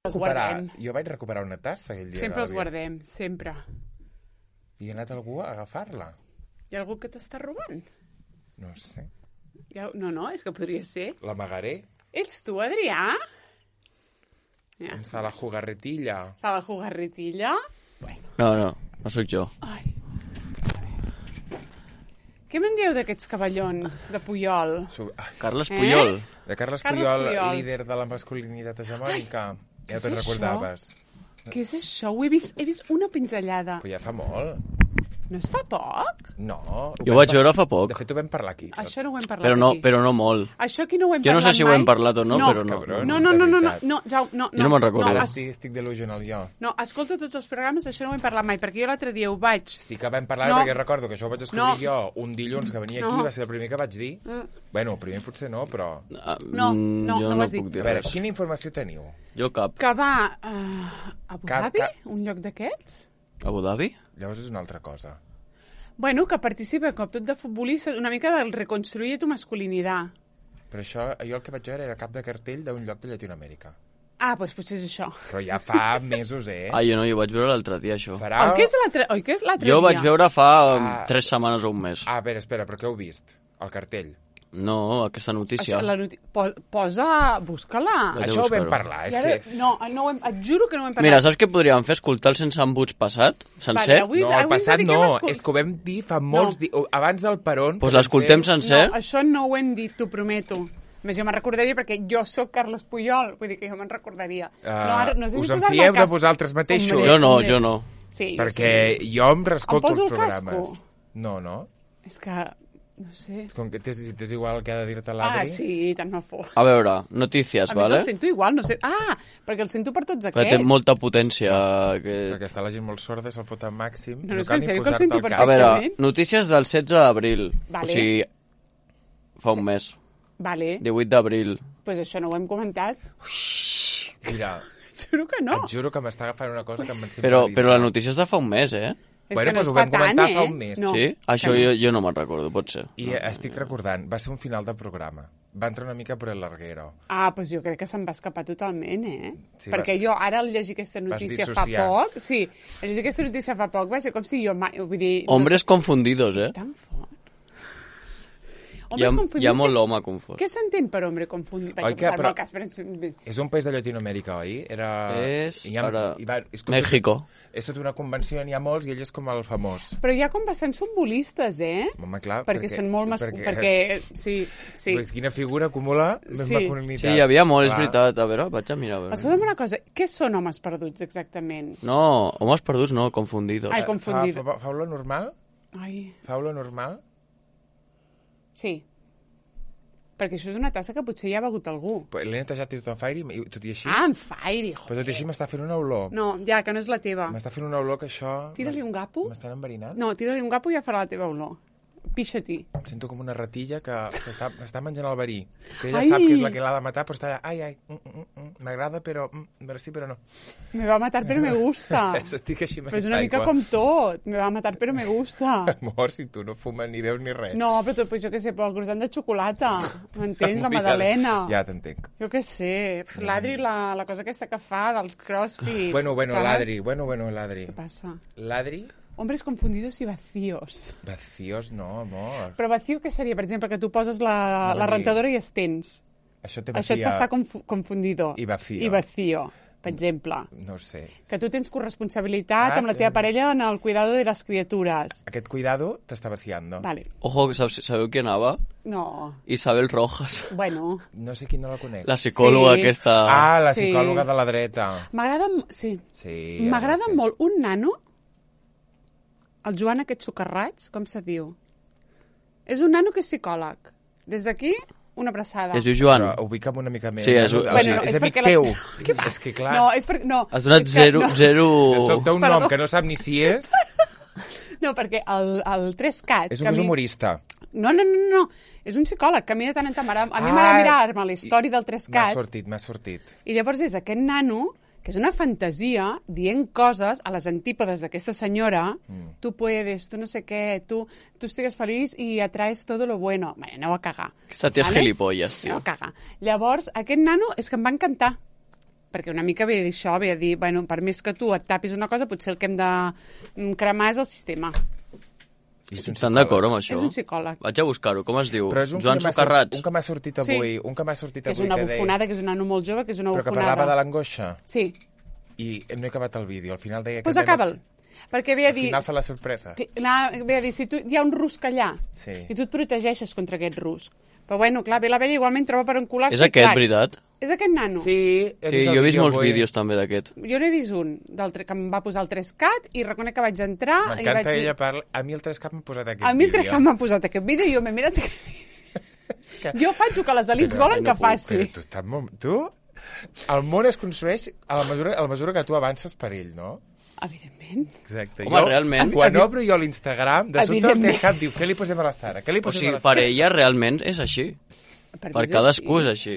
Els guardem. Jo vaig recuperar una tassa aquell dia. Sempre els guardem, sempre. I ha anat algú a agafar-la. Hi ha algú que t'està robant? No sé. No, és que podria ser. L'amagaré. Ets tu, Adrià? Ja. Ens fa la jugarretilla. Fa la jugarretilla? Bueno. No sóc jo. Ai. Què me'n dieu d'aquests cavallons de Puyol? Carles Puyol. De Carles Carles Puyol, Puyol, líder de la masculinitat hegemònica. Ja és te'n això? recordaves. Què és això? He vist una pinzellada. Però ja fa molt. No es fa poc? No. Jo ho vaig veure fa poc. De fet, ho vam parlar aquí. Això no ho hem parlat aquí. Però no molt. Això aquí no ho hem Jo parlat no sé si ho mai. hem parlat o no, però no. Cabrons, No, de veritat. no. Jo no me'n recordo. Ara sí, estic delusional jo. No, escolta tots els programes, això no ho hem parlat mai, perquè jo l'altre dia ho vaig... Sí que vam parlar, No. perquè recordo que això ho vaig escriure jo un dilluns que venia aquí, No. va ser el primer que vaig dir. Bueno, el primer potser no, però... No jo ho no has dit. puc dir A veure, res. quina informació teniu? Jo cap. Que va a Abu Dhabi, un lloc d'aquests? Abu Dhabi? Llavors és una altra cosa. Bueno, que participa com tot de futbolista, una mica del reconstruir tu masculinitat. Però això, jo el que vaig veure era cap de cartell d'un lloc de Llatinoamèrica. Ah, doncs potser és això. Però ja fa mesos, eh? Jo no, jo vaig veure l'altre dia, això. Farà... Oi que és l'altre dia? Jo vaig veure fa 3 setmanes o un mes. Ah, a veure, espera, però què heu vist? El cartell. No, aquesta notícia. Busca-la. Vaig a Això ho vam buscar-ho. parlar, I és ara, que... no et juro que no ho hem parlat. Mira, saps què podríem fer? Escoltar el Sense Embuts passat, sencer? Vale, No, el passat dediquem no, a escol- és que ho vam dir fa molts dies, abans del peron. Doncs l'escoltem sencer. No, això no ho hem dit, t'ho prometo. Més jo me'n recordaria perquè jo sóc Carles Puyol, vull dir que jo me'n recordaria. No sé us si en posar-me fieu el de casco. vosaltres mateixos? Hombre, Jo no. Sí, Perquè jo em rescolto Em poso els el programes. casco? No. És que, no sé... Com que t'és igual el que ha de dir-te l'Adri. sí, tant no fos. A veure, notícies, A més, vale? el sento igual, no sé... Ah, perquè el sento per tots Perquè aquests. té molta potència. Perquè està la gent molt sorda, se'l fot al màxim. No, és que cal en ni sèrio que el posar-te sento al per cap. A veure, Exactament. notícies del 16 d'abril. Vale. O sigui, fa un mes. Vale, 18 d'abril. doncs això no ho hem comentat. Mira, Juro que no. et juro que m'està agafant una cosa que em sembla Però dintre. la notícia és de fa un mes, eh? És Bueno, que no doncs es ho fa vam comentar tant, fa un mes. No, sí? Això que no. jo no me'n recordo, pot ser. I estic recordant, va ser un final del programa. Va entrar una mica per el larguero. Ah, doncs jo crec que se'n va escapar totalment, eh? Sí, Perquè jo ara al llegir aquesta notícia fa dissociar. poc... Sí, al llegir aquesta notícia fa poc va ser com si jo mai... Vull dir, Hombres confundidos, És eh? tan fort. Hi ha molt home confós. Què s'entén per hombre confundit? Oi que, però- Cas, però... És un país de Llatinoamèrica, oi? És com México. És tota una convenció, n'hi ha molts, i ell és com el famós. Però hi ha com bastants futbolistes, eh? Home, clar, Perquè són molt perquè sí. Quina figura acumula més Sí. masculinitat. Sí, hi havia molt, és Clar. veritat. A veure, vaig a mirar. A veure. Escolta'm una cosa, què són homes perduts exactament? No, homes perduts no, confundidos. Ai, confundido. Fau lo normal? Ai, Fau lo normal? sí. Perquè això és una tassa que potser ja ha begut algú. L'he netejat tot en fire i tot i així... Ah, en fire, Però tot i així m'està fent una olor. No, ja, que no és la teva. M'està fent una olor que això... Tira-li un gapo. M'estan enverinant? No, tira-li un gapo i ja farà la teva olor. Pixa-t'hi. Em sento com una ratilla que s'està menjant el verí. Que ella Ai! sap que és la que l'ha de matar, però està allà... Ai, m'agrada, però... A veure sí, però no. Me va matar, però me gusta. Estic així Però és una mica com tot. Me va matar, però me gusta. Amor, si tu no fumes ni veus ni res. No, però pues, jo què sé, però el croissant de xocolata. M'entens? La magdalena. Ja t'entenc. Jo què sé. L'Adri, la cosa aquesta que fa dels crossfit. Bueno, saps? l'Adri. L'Adri. Què passa? L'Adri... Hombres confundidos i vacíos. Vacíos no, amor. Però vacío què seria? Per exemple, que tu poses la rentadora i estens. Això té Això et fa estar confundido. I vacío. I vacío, per exemple. No ho sé. Que tu tens corresponsabilitat amb la teva parella en el cuidado de les criatures. Aquest cuidado t'està vaciando. Vale. Ojo, que sabeu qui anava? No. Isabel Rojas. Bueno. No sé qui no la conec. La psicòloga Sí. aquesta... Ah, la Sí. psicòloga de la dreta. M'agrada... Sí. Sí. M'agrada ja ho sé. molt un nano, el Joan aquest socarrats, com se diu? És un nano que és psicòleg. Des d'aquí, una abraçada. Es diu Joan. Però ubica'm una mica més. Sí, és- O sigui, bueno, no, és és amic perquè teu. Què va? És que clar, No, és perquè... No, Has donat és que no. zero... solta un Perdó. nom que no sap ni si és, No, perquè el 3CAT... és un humorista. No. És un psicòleg que a mi de tant en tant a mi Ah, m'agrada mirar-me la història del M'ha 3CAT sortit. i llavors és aquest nano que és una fantasia dient coses a les antípodes d'aquesta senyora. Tu puedes, tu no sé què, tu estigues feliç i atraes todo lo bueno. Bé, aneu a cagar. Aquesta tia és gilipolles, Aneu tio. a cagar. Llavors, aquest nano és que em va encantar. perquè una mica ve a dir això, ve a dir, bueno, per més que tu et tapis una cosa, potser el que hem de cremar és el sistema. Estan d'acord amb això? És un psicòleg. Vaig a buscar-ho. Com es diu? Però és Joan Socarrats? Un que m'ha sortit avui, que és una bufonada, que és un nano molt jove, que és una bufonada. Però que parlava de l'angoixa. Sí. I no he acabat el vídeo. Al final deia que... Doncs acaba'l. Perquè ve a dir... Al final fa la sorpresa. Ve a dir, si hi ha un rusc allà, i tu et protegeixes contra aquest rusc. Però bueno, clar, ve la vella igualment troba per encular-se. És aquest, veritat? És aquest nano. Sí, jo he vist molts vídeos també d'aquest. Jo n'he vist un, que em va posar el 3CAT i reconec que vaig entrar... M'encanta ella parla... A mi el 3CAT m'ha posat aquest vídeo. A mi el 3CAT m'ha posat aquest vídeo i jo m'he mirat aquest vídeo. Jo faig el que les elites volen que faci. Però tu... El món es construeix a la mesura que tu avances per ell, no? Evidentment. Exacte. Home, realment. Quan obro jo l'Instagram, de sobte el 3CAT diu, què li posem a la Sara? O sigui, per ella realment és així. Per cadascú és així.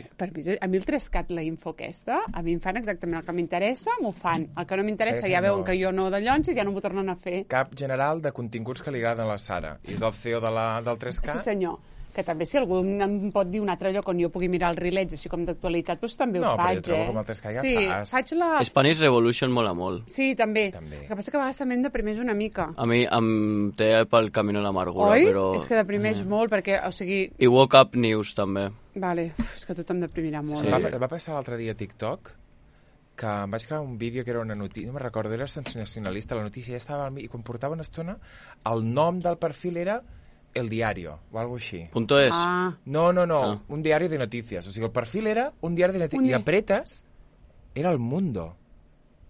A mi el 3CAT, la info aquesta, a mi em fan exactament el que m'interessa, m'ho fan. El que no m'interessa ja veuen que jo no de llonys i ja no m'ho tornen a fer. Cap general de continguts que li agraden a la Sara. I és el CEO del 3CAT. Sí, senyor. Que també si algú em pot dir un altre lloc on jo pugui mirar els rilets, així com d'actualitat, doncs també ho faig, No, però jo trobo com el 3CAT ja fas. Faig la... Spanish Revolution mola molt. Sí, també. El que passa que a vegades també em deprimeix una mica. A mi em té pel camí de l'amargura, Oi? Però... És que deprimeix molt, perquè, o sigui... I Woke Up News, també. Vale, és que tot em deprimirà molt. Sí. Va passar l'altre dia a TikTok que em vaig crear un vídeo que era una notícia, no me'n recordo, era sensacionalista, la notícia ja estava al mig, i quan portava una estona, el nom del perfil era El Diario, o algo així. .es? No, un diari de noticias. O sigui, el perfil era un diari de noticias. I apretes, era El Mundo.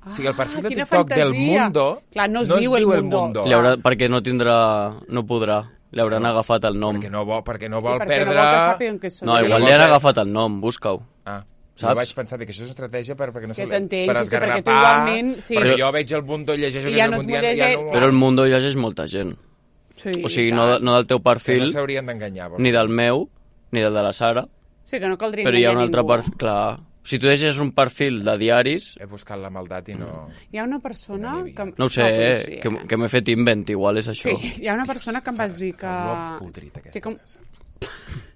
O sigui, el perfil de TikTok del Mundo clar, no es diu El Mundo. Perquè no podrà. Li hauran agafat el nom. Perquè no vol perdre... No vol que no, igual li han agafat el nom, busca-ho. Jo vaig pensar que això és estratègia perquè no se per esgarrapar, perquè jo veig El Mundo, llegeixo que és el Però El Mundo llegeix molta gent. Sí, o sigui, no del teu perfil, que no s'haurien d'enganyar, ni del meu, ni del de la Sara. Sí, que no caldria però hi ha un altre perfil, clar. Si tu deixes un perfil de diaris... He buscat la maldat i no... Hi ha una persona que... No ho sé, que m'he fet invent, igual és això. Sí, hi ha una persona que em vas dir que... Podrit, aquesta casa.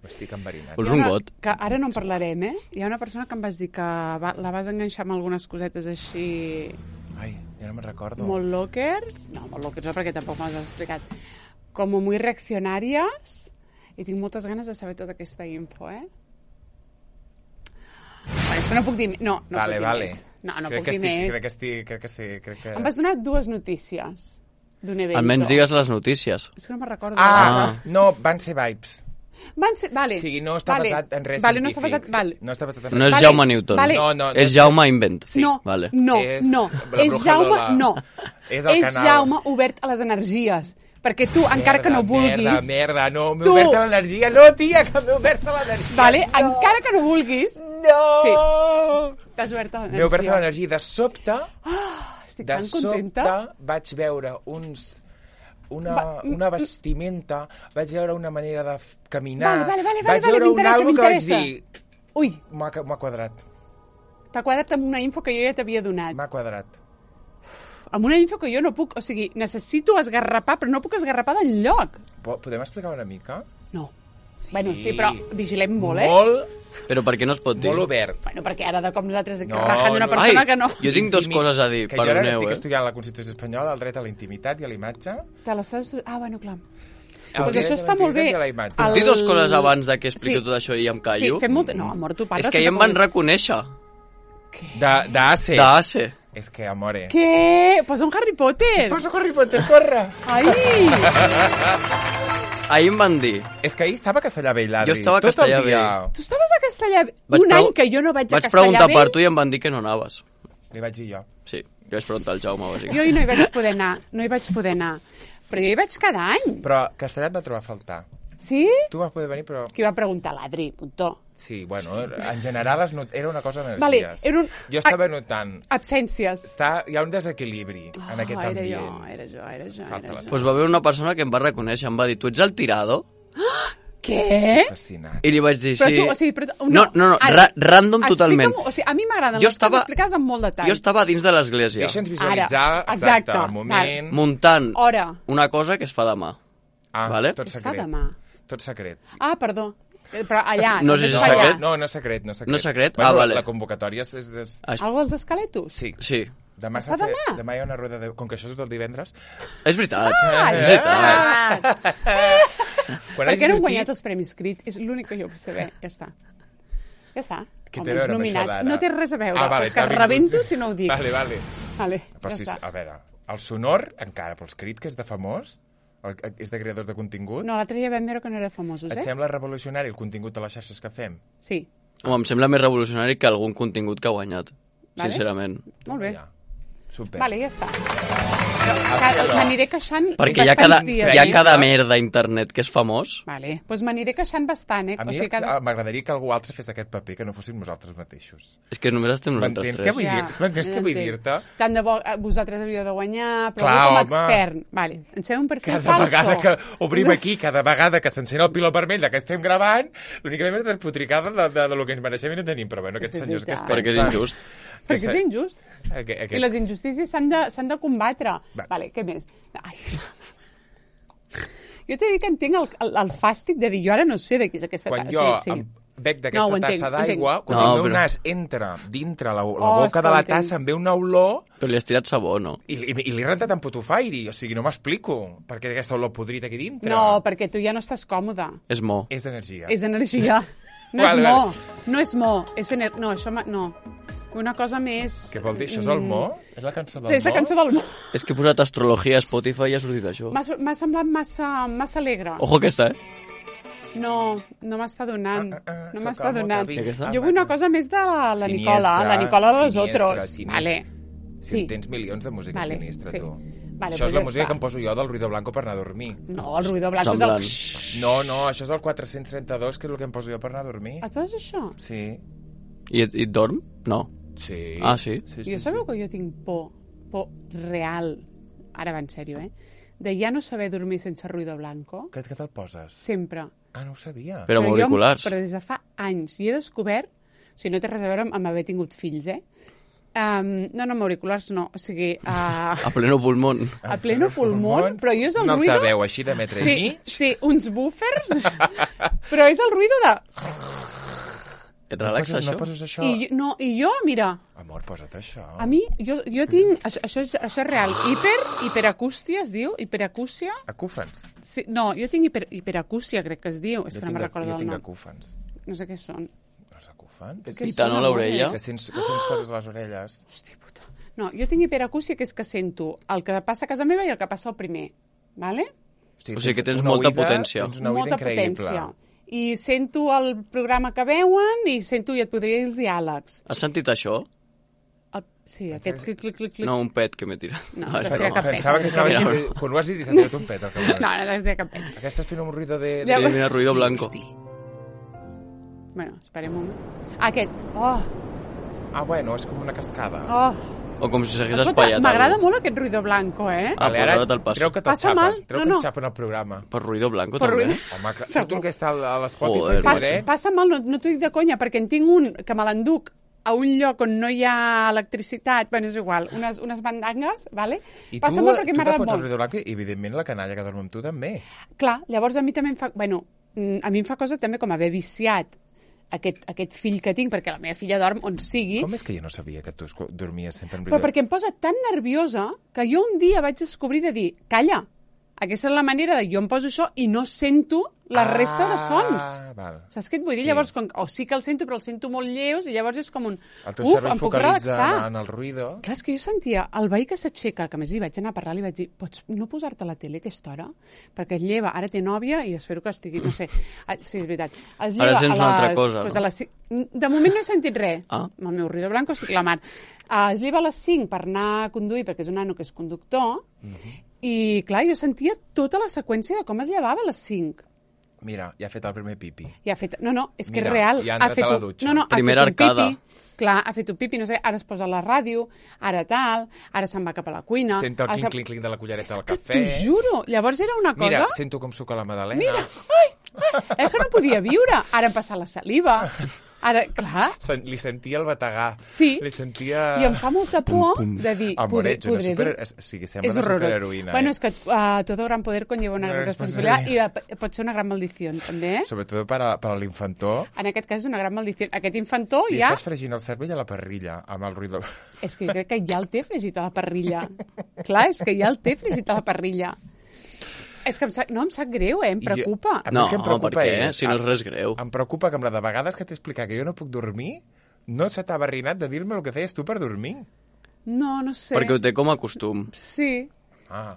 M'estic enverinant. Vols un got? Que ara no en parlarem, Hi ha una persona que em vas dir que la vas enganxar amb algunes cosetes així... Ai, ja no me'n recordo. Molt lockers? No, molt lockers no, perquè tampoc me'ls has explicat. Com muy reaccionàries, i tinc moltes ganes de saber tota aquesta info, Vale, és que no puc dir... No puc dir més. No puc dir més. Crec que sí. Em vas donar 2 notícies d'un evento. Almenys digues les notícies. És que no me'n recordo. No, van ser vibes. Vale. O sigui, no està basat en res científic. No està basat en res. No és Jaume Newton. No, és Jaume Invent. Sí. No. És Jaume... No. És Jaume obert a les energies. Perquè tu, encara que no vulguis... Merda, no, m'he obert a l'energia. No, tia, que m'he obert a l'energia. Vale, encara que no vulguis... No! Sí, t'has obert a l'energia. M'he obert a l'energia. De sobte... Estic tan contenta. De sobte vaig veure una vestimenta, vaig veure una manera de caminar... Vale, vaig veure un algo que vaig dir... Ui! M'ha quadrat. T'ha quadrat amb una info que jo ja t'havia donat. M'ha quadrat. Amb una info que jo no puc... O sigui, necessito esgarrapar, però no puc esgarrapar del lloc. Podem explicar una mica? No. Sí. Bueno, sí, però vigilem molt, Molt... Però per què no es pot dir? Molt obert. Bueno, perquè ara de com nosaltres rajant d'una persona que no... Jo tinc 2 coses a dir, perdoneu, jo ara estic estudiant la Constitució Espanyola, el dret a la intimitat i a la imatge. Te l'estàs estudiant? Bueno, clar. Doncs això està molt bé. Puc dir 2 coses abans de que expliqui tot això i em callo? Sí, fem molt... No, amor, tu parles... És que ja em van reconèixer. Què? D'ACE. D'ACE. És que, amore... Què? Posa un Harry Potter. Posa un Harry Potter, corre. Ai! Ahir em van dir... És que ahir estava a Castellà-Vell, l'Adri. Jo estava a Castellà-Vell. Tu estaves a Castellà-Vell? Un any que jo no vaig a Castellà-Vell? Vaig preguntar per tu i em van dir que no anaves. Li vaig dir jo. Sí, jo vaig preguntar al Jaume, bàsicament. Jo no hi vaig poder anar, Però jo hi vaig cada any. Però Castellà et va trobar a faltar. Sí? Tu vas poder venir, però... Qui va preguntar? L'Adri, puntó. Sí, bueno, en general era una cosa d'energies. Vale, jo estava notant... Absències. Hi ha un desequilibri en aquest ambient. Era jo. Doncs va haver una persona que em va reconèixer, em va dir, tu ets el tirador? Què? Fascinat. I li vaig dir, sí. No, random totalment. O sigui, a mi m'agraden les coses explicades amb molt detall. Jo estava dins de l'església. Deixa'ns visualitzar, exacte, el moment... Muntant una cosa que es fa demà. Tot secret. Es fa demà. Tot secret. Perdó. Però allà... No sé si és allà. secret. No és secret. No és secret? Bueno, Vale. La convocatòria és... Algo dels esqueletos? Sí. Sí. Demà Està demà? Demà hi ha una rueda de... Com que això és del divendres... És veritat. És veritat. Quan Per què no han sortit- guanyat els Premis Crit? És l'únic que jo vull saber. Ja està. Ja està. Què Com té a els veure amb això nominats. d'ara? No té res a veure. Vale, És que t'ha vingut. rebento si no ho dic. Vale. Vale, Però ja si, està. a veure, el sonor, encara, pels crits, que és de famós, és de creadors de contingut, No, l'altre dia vam veure que no era famosos, et eh? sembla revolucionari el contingut de les xarxes que fem? Sí. Home, em sembla més revolucionari que algun contingut que ha guanyat, Vale. sincerament. Molt bé. Ja. Super. Vale, ja està. M'aniré queixant Perquè hi ha bastants dies. hi ha cada merda a internet que és famós. Vale, doncs m'aniré queixant bastant, eh? A mi m'agradaria que algú altre fes d'aquest paper, que no fóssim nosaltres mateixos. És que només estem nosaltres M'entens què tres. vull dir? M'entens què vull dir-te? Tant de bo vosaltres havíeu de guanyar, però Clar, com a home. extern. Vale, ens fem un perfil Cada falso. vegada que obrim aquí, cada vegada que s'encén el pilot vermell de que estem gravant, l'únic que fem és despotricada de lo que ens mereixem i no tenim. Però bueno, aquests És senyors que es veritat. Perquè és pensen... injust. Perquè és injust. Aquest... I les injustícies s'han de combatre. Va. Vale, què més? Ai. Jo t'he dit que entenc el fàstic de dir, jo ara no sé de qui és aquesta Quan tassa. jo Sí. bec No, d'aquesta ho entenc, tassa ho entenc. d'aigua, quan No, el meu però- nas entra dintre la Oh, boca és que de ho la entenc. tassa, em ve una olor Però li has tirat sabó, no? i l'he rentat amb putufairi. O sigui, no m'explico per què aquesta olor podrida aquí dintre. No, perquè tu ja no estàs còmode. És mo. És energia. És energia. No Vale, és mo. vale. No és mo. És no, això... No. Una cosa més... Què vol dir? Això és el mo? És la cançó del És la mo? cançó del mo. És que he posat astrologia a Spotify i ha sortit això. M'ha semblat massa alegre. Ojo aquesta, No m'està donant. No sóc m'està el donant. Mota Vic. Jo vull una cosa més de la Siniestra, Nicola. La Nicola de los siniestra, otros. siniestra. Vale. Si Sí. en tens milions de música Vale, sinistra, sí. tu. Vale, Això és pues la ja música està. que em poso jo del Ruido Blanco per anar a dormir. No, el ruïdor blanc Semblant. és el... No, això és el 432, que és el que em poso jo per anar a dormir. Et poses això? Sí. I et dorm? No. Sí. Ah, sí? Sí, Jo sabeu que jo tinc por real, ara va en sèrio, de ja no saber dormir sense ruïdor blanco, Què te'l poses? sempre. Ah, no ho sabia. Però amb auriculars. Però des de fa anys. I he descobert, o sigui, no té res a veure amb haver tingut fills, no, amb auriculars no, o sigui, A pleno pulmón. a pleno pulmó, però jo és el un ruïdo... altaveu així de metre i Sí, mig. sí, uns buffers, però és el ruïdo de... Et relaxa, No això? poses això? I jo, mira, Amor, posa't això. a mi, jo tinc... Això és real. Hiperacústia es diu? Hiperacústia? Acúfens. Sí, no, jo tinc hiperacústia, crec que es diu. És que no me'n recordo jo el tinc nom. acúfens. No sé què són. Els acúfens? Què Pita, són, no, amor? l'orella? Que sents coses a les orelles. Hòstia puta. No, jo tinc hiperacústia, que és que sento el que passa a casa meva i el que passa al primer. Vale? O sigui que tens una molta oïda- potència. Tens una oïda Molta increïble. potència. I sento el programa que veuen i sento, i et podria dir els diàlegs. Has sentit això? Sí, aquest clic, clic, clic, clic. No, un pet que m'he tirat. No, Ah, no és sé broma. cap pet. Pensava que s'anava a dir... Mira. Quan ho has dit, s'ha tirat un pet. No, no té cap pena. Aquesta estàs fent un ruïdo de... Ja- Sí, mira, ruido blanco. Bueno, esperem un moment. Aquest. Oh, Ah, bueno, és com una cascada. oh. O com si s'hagués Escolta, espaiat. m'agrada algú. molt aquest ruido blanco, Ah, eh? Vale, pues ara ara te'l passo. creu que te'l Passa xapen. mal? Creu No, que no. ens xapen el programa. Per ruido blanco, Per també? ruido. Home, que Segur. tu que està a l'Spotify, Joder, pobret. Passa mal, no t'ho dic de conya, perquè en tinc un que me l'enduc a un lloc on no hi ha electricitat, bueno, és igual, unes bandangues, vale? I Passa tu, molt perquè tu te m'agrada fots el molt. ruïdo blanc i, evidentment, la canalla que dorm amb tu també. Clar, llavors a mi també em fa... Bueno, a mi em fa cosa també com haver viciat aquest fill que tinc, perquè la meva filla dorm on sigui, Com és que jo no sabia que tu dormies sempre amb però ruïdo? perquè em posa tan nerviosa que jo un dia vaig descobrir de dir, calla, aquesta és la manera de jo em poso això i no sento la resta de sons. Val. Saps què et vull dir? Sí. Llavors, o sí que el sento, però el sento molt lleus, i llavors és com un... El teu Uf, cervell em puc focalitza relaxar. en el ruïdo. Clar, és que jo sentia el veí que s'aixeca, que a més li vaig anar a parlar, li vaig dir, pots no posar-te a la tele a aquesta hora? Perquè es lleva, ara té nòvia i espero que estigui, no sé, sí, és veritat. Es lleva Ara sents una altra cosa, pues no? a les... De moment no he sentit res. Ah. Amb el meu ruido blanco estic la mar. Es lleva a les 5 per anar a conduir, perquè és un nano que és conductor, i clar, jo sentia tota la seqüència de com es llevava a les 5. Mira, ja ha fet el primer pipi. I ha fet... No, és que Mira, és real. ja ha entrat a la dutxa. No, ha Primera fet un arcada. pipi. Clar, ha fet un pipi, no sé, ara es posa a la ràdio, ara tal, ara se'n va cap a la cuina. Sento el ara clinc-clinc de la cullereta del És que cafè. t'ho juro. Llavors era una cosa... Mira, sento com suca la Madalena. Mira, és que no podia viure. Ara em passa la saliva. Ara, clar. Li sentia el bategar. Sí. Li sentia... I em fa molta por de dir... Amor, ets una sembla una superheroïna. Bueno, és que todo gran poder conlleva una gran responsabilitat i pot ser una gran maldició, també. Sobretot per a l'infantó. En aquest cas és una gran maldició. Aquest infantó ja... ja... estàs fregint el cervell a la parrilla, amb el ruïdor. És que jo crec que ja el té fregit a la parrilla. Clar, és que ja el té fregit a la parrilla. És que em sap greu, em preocupa. No, per què? Si no és res greu. Em preocupa que amb la de vegades que t'he explicat que jo no puc dormir, no se t'ha barrinat de dir-me el que feies tu per dormir. No sé. Perquè ho té com a costum. Sí.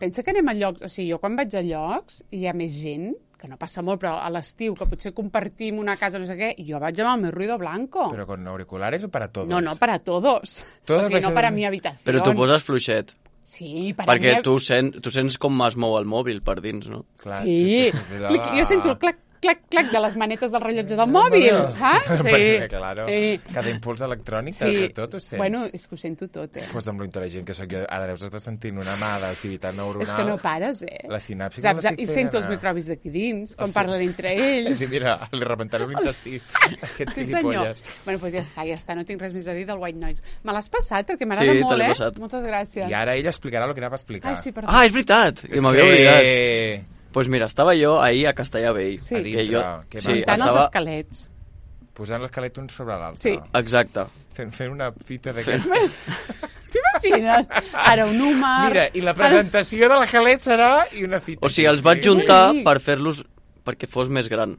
Pensa que anem a llocs... O sigui, jo quan vaig a llocs i hi ha més gent, que no passa molt, però a l'estiu, que potser compartim una casa, no sé què, jo vaig amb el meu ruido blanco. Però con auriculares o para todos? No, para todos. O sigui, no para mi habitació. Però tu poses fluixet. Sí, perquè tu sents com es mou el mòbil per dins, no? Clar, sí, jo sento el clac, clac, clac de les manetes del rellotge del mòbil. Sí. Claro, cada impuls electrònic, tot ho sents. Bueno, és que ho sento tot, Pues amb lo intel·ligent que soc jo, ara deus estar sentint una mà d'activitat neuronal. És que no pares, La sinapsi que l'estic fent. I sento els microbis d'aquí dins, quan parlen entre ells. Sí, mira, li rebentaré l'intestí. Sí, senyor. Bueno, doncs ja està, no tinc res més a dir del White Noise. Me l'has passat, perquè m'agrada molt, Moltes gràcies. I ara ella explicarà el que anava a explicar. Sí, perdó. És veritat, que m'havia oblidat. Pues mira, estava jo ahir a Castellà Vell. Sí. Muntant els esquelets. Posant l'esquelet un sobre l'altre. Sí. Exacte. Fent una fita d'aquesta. T'imagines? Ara un húmer... Mira, i la presentació de l'esquelet serà i una fita. O sigui, els vaig juntar per fer-los perquè fos més gran.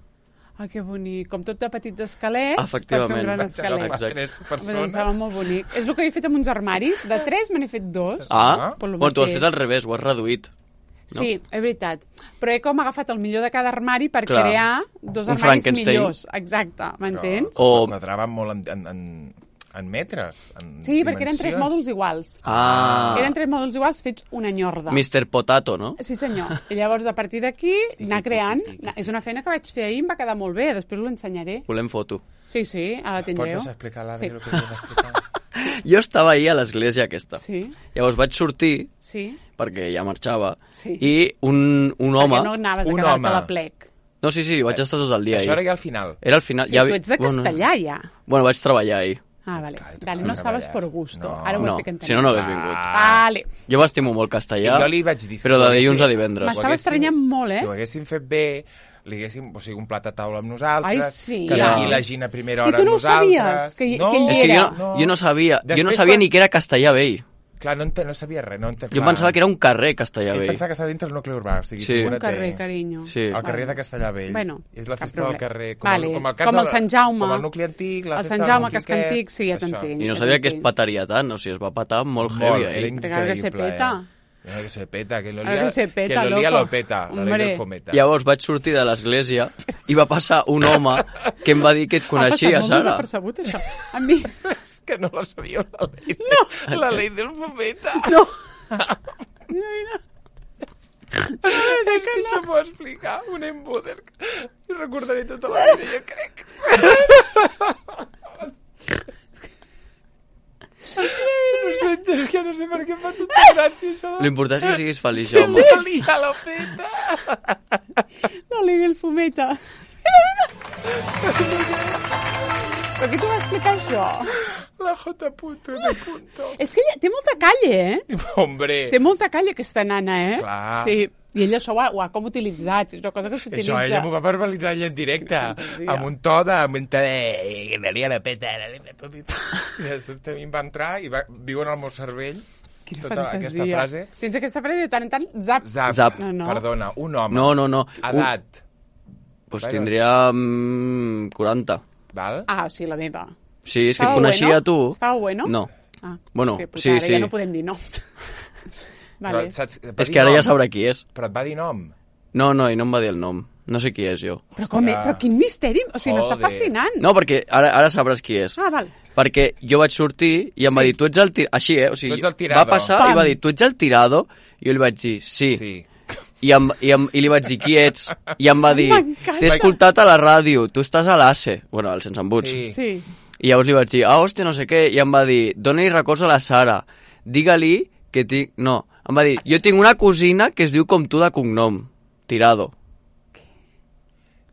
Que bonic. Com tot de petits esquelets, efectivament, per fer un gran esquelet. Tres persones. Sembla molt bonic. És el que he fet amb uns armaris. De 3 me n'he fet 2. Bueno, tu has fet al revés, ho has reduït. No? Sí, és veritat. Però he com agafat el millor de cada armari per crear 2 armaris millors. Exacte, m'entens? O quadraven molt en metres, en sí, perquè eren 3 mòduls iguals. Eren 3 mòduls iguals fets una enyorda. Mr. Potato, no? Sí, senyor. I llavors, a partir d'aquí, anar creant. És una feina que vaig fer ahir i em va quedar molt bé. Després l'ensenyaré. Volem foto. Sí, ara la tindreu. Pots explicar l'Adri el que has explicat? Jo estava ahir a l'església aquesta. Sí. Llavors vaig sortir, perquè ja marxava, i un home... Perquè no anaves a quedar-te a la plec. No, sí, vaig estar tot el dia ahir. Això era ja al final. Era al final. Sí, tu ets de castellà, ja. Bueno, vaig treballar ahir. Vale. No estaves per gusto. Ara ho estic entenent. Si no hagués vingut. Vale. Jo m'estimo molt castellà, jo li vaig dir, però de dilluns a divendres. M'estava estranyant molt, Si ho haguéssim fet bé, li haguéssim, un plat a taula amb nosaltres, que d'aquí la Gina a primera hora amb nosaltres... I tu no ho sabies, que ell és que jo no sabia ni que era Castellà Vell. Clar, no sabia res. Jo pensava que era un carrer Castellà Vell. Ell pensava que estava dintre el nucli urbà. O sigui, un carrer, carinyo. El carrer de Castellà Vell. Bueno, és la festa del carrer. Com el Sant Jaume. Com el nucli antic, la festa del nucli aquest. El Sant Jaume, que és antic, sí, ja t'entenc. I no sabia que es petaria tant, o sigui, es va petar molt heavy. Era increïble. Que se peta. Que se peta, que lo lía lo peta, la ley del fometa. Llavors vaig sortir de l'església i va passar un home que em va dir que et coneixia, Sara. Ha passat molt desapercebut, això. A mi... que no la sabia, la ley del fometa. No. Mira. És que això m'ho explicar un embuder. I recordaré tota la vida, jo crec. És que no sé per què em fa tanta gràcia, això. L'important és que siguis feliç, home. La lía la feta. La lía del fometa. Per què t'ho va explicar, això? La J. M. És que ella té molta calle, Hombre. Té molta calle, aquesta nana, Clar. Sí. I ella això ho ha com utilitzat. És una cosa que s'utilitza. Això ella m'ho va verbalitzar ella en directe. Amb un to de... Que la lia la peta. I a mi em va entrar i viu en el meu cervell. Quina tota fantasia. Aquesta frase. Tens aquesta frase de tant en tant? Zap. Zap. No. Perdona, un home. No. Edat. Pues tindria 40. Val? O sigui, la meva. Sí, és que et coneixia tu. Estava bueno? No. Bueno, hòstia, sí. Ja no podem dir noms. Vale. Però, és que ara ja sabrà qui és. Però et va dir nom? No, i no em va dir el nom. No sé qui és, jo. Però quin misteri! O sigui, m'està fascinant. No, perquè ara sabràs qui és. Val. Perquè jo vaig sortir i em va dir, tu ets el tirado. Així, o sigui, va passar i va dir, tu ets el tirado? I jo li vaig dir, sí. I li vaig dir, qui ets? I em va dir, t'he escoltat a la ràdio, tu estàs a l'ACE. Bueno, al Sense Embuts. Sí. I llavors li vaig dir, hòstia, no sé què, i em va dir, dona-li records a la Sara, digue-li que tinc... No, em va dir, jo tinc una cosina que es diu com tu de cognom, Tirado.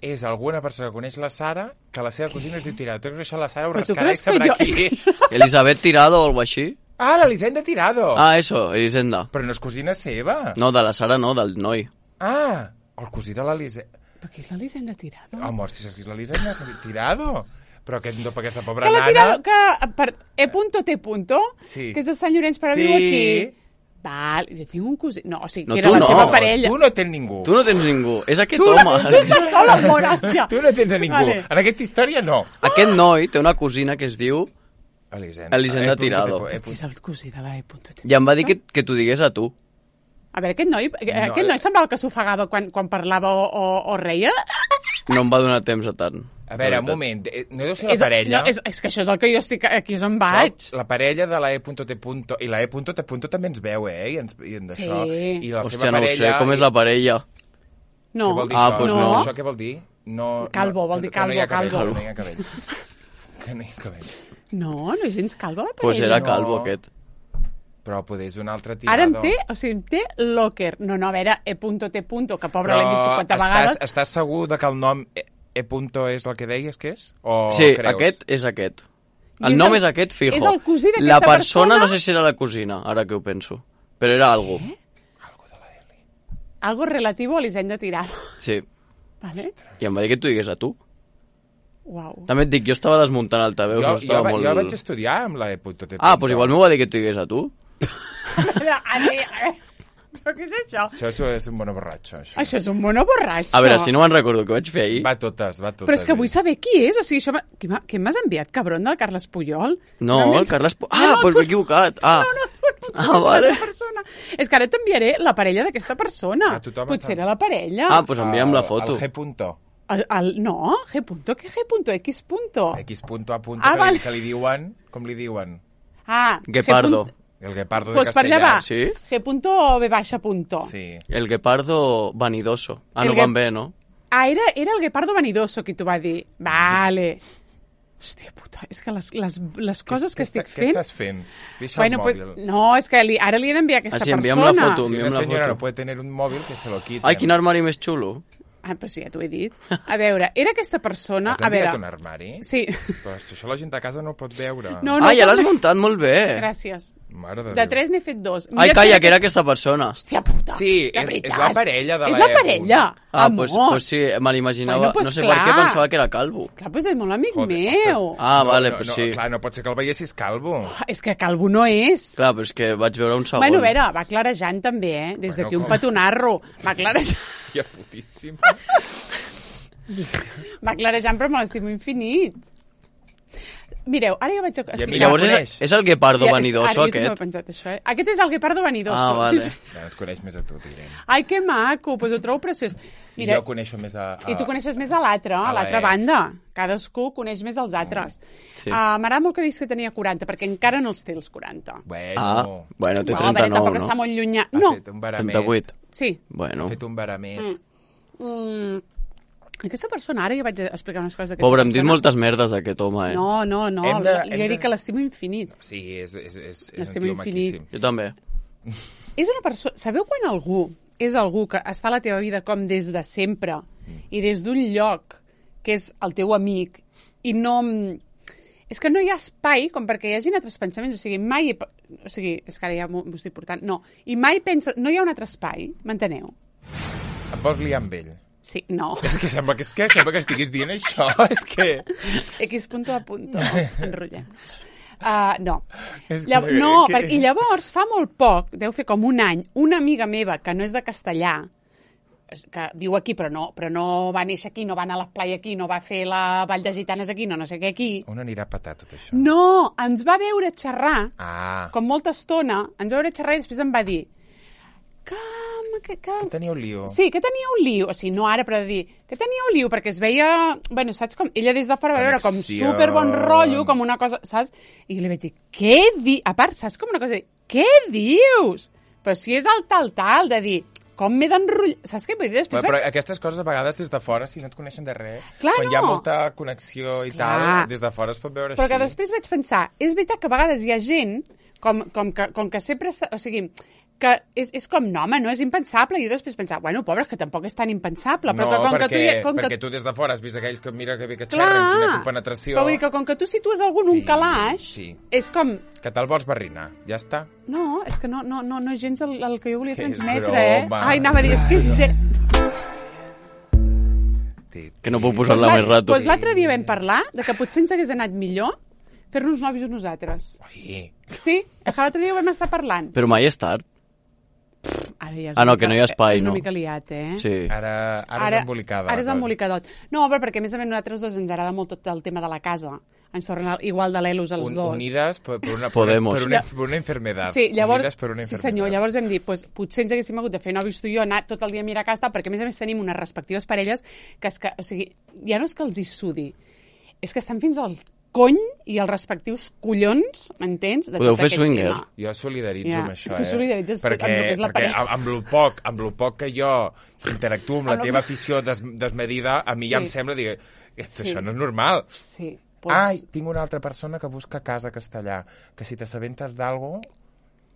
és alguna persona que coneix la Sara que la seva cosina es diu Tirado. Tu creus que això la Sara ho rascarà i sabrà qui és? Elisabet Tirado o alguna així? Ah, l'Elisenda Tirado. Ah, eso, Elisenda. Però no és cosina seva. No, de la Sara no, del noi. Ah, el cosí de l'Elisenda. Però qui és l'Elisenda Tirado? Home, si saps qui és l'Elisenda Tirado. Però aquesta pobra que nana... Que per E.T. Sí. Que és de Sant Llorenç, però viu aquí. Val, jo tinc un cosí... No, o sigui, no, que era la seva parella. Tu no tens ningú. Tu no tens ningú. És aquest home. Tu estàs sol al món, hòstia. Tu no tens a ningú. Vale. En aquesta història, no. Aquest noi té una cosina que es diu... Elisenda Tirado. Qui és el cosí de la E.T. I em va dir que t'ho digués a tu. A veure, aquest noi semblava que s'ofegava quan parlava o reia. No em va donar temps a tant. A veure, un moment, no deu ser la parella... No, és que això és el que jo estic... Aquí és on vaig. La parella de la E.T. I la E.T. també ens veu, I d'això. Sí. I la Hòstia, seva no ho sé, com és la parella? No. Què vol dir Ah, això? doncs no. Això què vol dir? Calvo, vol dir calvo, calvo. Que no hi ha cabell. Que no hi ha cabell. No és gens calvo la parella. Pues era calvo aquest. Però poder és un altre Tirado. Ara em té Locker. No, a veure, E.T. que pobre l'hem dit 50 vegades. Estàs segur de que el nom E. és el que deies que és? O sí, creus? aquest és aquest. El nom és aquest, fijo. És el cosí d'aquesta La persona, persona? no sé si era la cosina, ara que ho penso. Però era algo. Què? Algo relativo a l'Elisenda Tirado. Sí. Vale. I em va dir que t'ho digués a tu. Uau. També et dic, jo estava desmuntant altaveus. Jo vaig estudiar amb la E.T. Ah, doncs igual m'ho va dir que t'ho digués a tu. Però què és això? Això és un mono borratxo, això. Això és un mono borratxo. A veure, si no me'n recordo què vaig fer ahir. Va totes. Però és que vull saber qui és. O sigui, això... Què m'has enviat, cabron, del Carles Puyol? No, el Carles Puyol... Ah, doncs m'he equivocat. No, vale. Persona. És que ara t'enviaré la parella d'aquesta persona. Potser era la parella. Ah, doncs envia'm la foto. El G. No, G. Què G. X. X. A. Vale. Que li diuen... Com li diuen? Ah, Guepardo. El guepardo de pues per allà castellà. va. Sí? G.B. Sí. El guepardo vanidoso. Ah, no van bé, no? Ah, era el guepardo vanidoso qui t'ho va dir. Vale. Hòstia puta, és que les coses que estic fent... Què estàs fent? Deixa el mòbil. No, és que ara li he d'enviar aquesta persona. Envia'm la foto, si una senyora no pot tenir un mòbil, que se lo quiten. Ai, quin armari més xulo. Ah, però sí, ja t'ho he dit. A veure, era aquesta persona... Has enviat un armari? Sí. Però això la gent a casa no ho pot veure. No, ja l'has muntat molt bé. Gràcies. Mare de Déu. De 3 n'he fet 2. Ai, calla, que era aquesta persona. Hòstia puta. Sí, és la parella de la És la parella. Ah, doncs sí, me l'imaginava. Bueno, no sé per què pensava que era calvo. Clar, doncs és molt amic meu. Ah, vale, doncs sí. Clar, no pot ser que el veiessis calvo. És que calvo no és. Clar, però és que vaig veure un segon. Bueno, a veure, va clarejant també, Des d'aquí un petonarro. Va clarejant. Ja, putíssim. Va clarejant, però me l'estimo infinit. Mireu, ara ja vaig a... Llavors és el guepardo vanidoso, aquest? Jo pensat, això, Aquest és el guepardo vanidoso. Ah, vale. Sí. Ja, et coneix més a tu, direm. Ai, que maco, doncs ho trobo preciós. Mira, jo coneixo més a... I tu coneixes més a l'altra banda. Cadascú coneix més els altres. Sí. M'agrada molt que diguis que tenia 40, perquè encara no els té els 40. Bueno, té 39, no? Tampoc està molt llunyà. No. Ha fet un barament. 38. Sí. Bueno. Ha fet un barament. Aquesta persona, ara jo vaig explicar unes coses d'aquesta persona. Pobre, hem dit moltes merdes d'aquest home, No, li he dit que l'estimo infinit. Sí, és l'estimo infinit. Jo també. És una persona... Sabeu quan algú és algú que està a la teva vida com des de sempre i des d'un lloc que és el teu amic i no... És que no hi ha espai com perquè hi hagin altres pensaments, o sigui, mai... O sigui, és que ara ja m'ho estic portant... No, i mai pensa... No hi ha un altre espai, m'enteneu? Em vols liar amb ell? Sí, no. És que sembla que estiguis dient això, és que... X. Enrotllem-nos. No. I llavors, fa molt poc, deu fer com un any, una amiga meva que no és de Castellà, que viu aquí però no va néixer aquí, no va anar a la playa aquí, no va fer la Vall de Gitanes aquí, no sé què aquí. On anirà a petar tot això? No, ens va veure xerrar, com molta estona, ens va veure xerrar i després em va dir que tenia un lío. Sí, que tenia un lío. O sigui, no ara, però de dir que tenia un lío, perquè es veia... Bueno, saps com... Ella des de fora va veure com super bon rotllo, com una cosa... Saps? I jo li vaig dir, què dius? A part, saps com una cosa de dir, què dius? Però si és el tal, de dir, com m'he d'enrotllar... Saps què vull dir? Després però aquestes coses a vegades des de fora, si no et coneixen de res, clar, quan hi ha molta connexió i tal, des de fora es pot veure però així. Que després vaig pensar, és veritat que a vegades hi ha gent com que sempre... O sigui, que és com, no, home, no és impensable. I jo després pensava, bueno, pobre, que tampoc és tan impensable. Però no, que perquè tu des de fora has vist aquells que mira que bé que xerren, quina compenetració... Però vull dir que com que tu situes algú en un calaix, és com... Que te'l vols barrinar, ja està. No, és que no és gens el que jo volia transmetre, Ai, anava a dir, és que és... Que no puc posar-la més rato. Doncs l'altre dia vam parlar de que potser ens hagués anat millor fer-nos nòvios nosaltres. Sí. Sí, que l'altre dia ho vam estar parlant. Però mai és tard. Ara ja és no, que no hi ha espai, no? És no? una mica liat, Sí. Ara és embolicada. Ara és embolicadot. No, però perquè a més a més nosaltres dos ens agrada molt tot el tema de la casa. Ens tornen igual de l'elos els dos. Unides per una enfermedad. Sí, llavors, unides per una enfermedad. Sí senyor, llavors hem dit, pues, potser ens haguéssim hagut de fer nòvios tu i jo, anar tot el dia a mirar casa, perquè a més tenim unes respectives parelles que, o sigui, ja no és que els hi sudi, és que estan fins al cony i els respectius collons, m'entens? Podeu fer swinger. Jo solidaritzo amb això, Tu solidaritzes perquè amb el que és la parella. Amb lo poc que jo interactuo amb la teva afició desmedida, a mi ja em sembla, dir, això no és normal. Sí. Ai, tinc una altra persona que busca casa a Castellà, que si t'assabentes d'algo,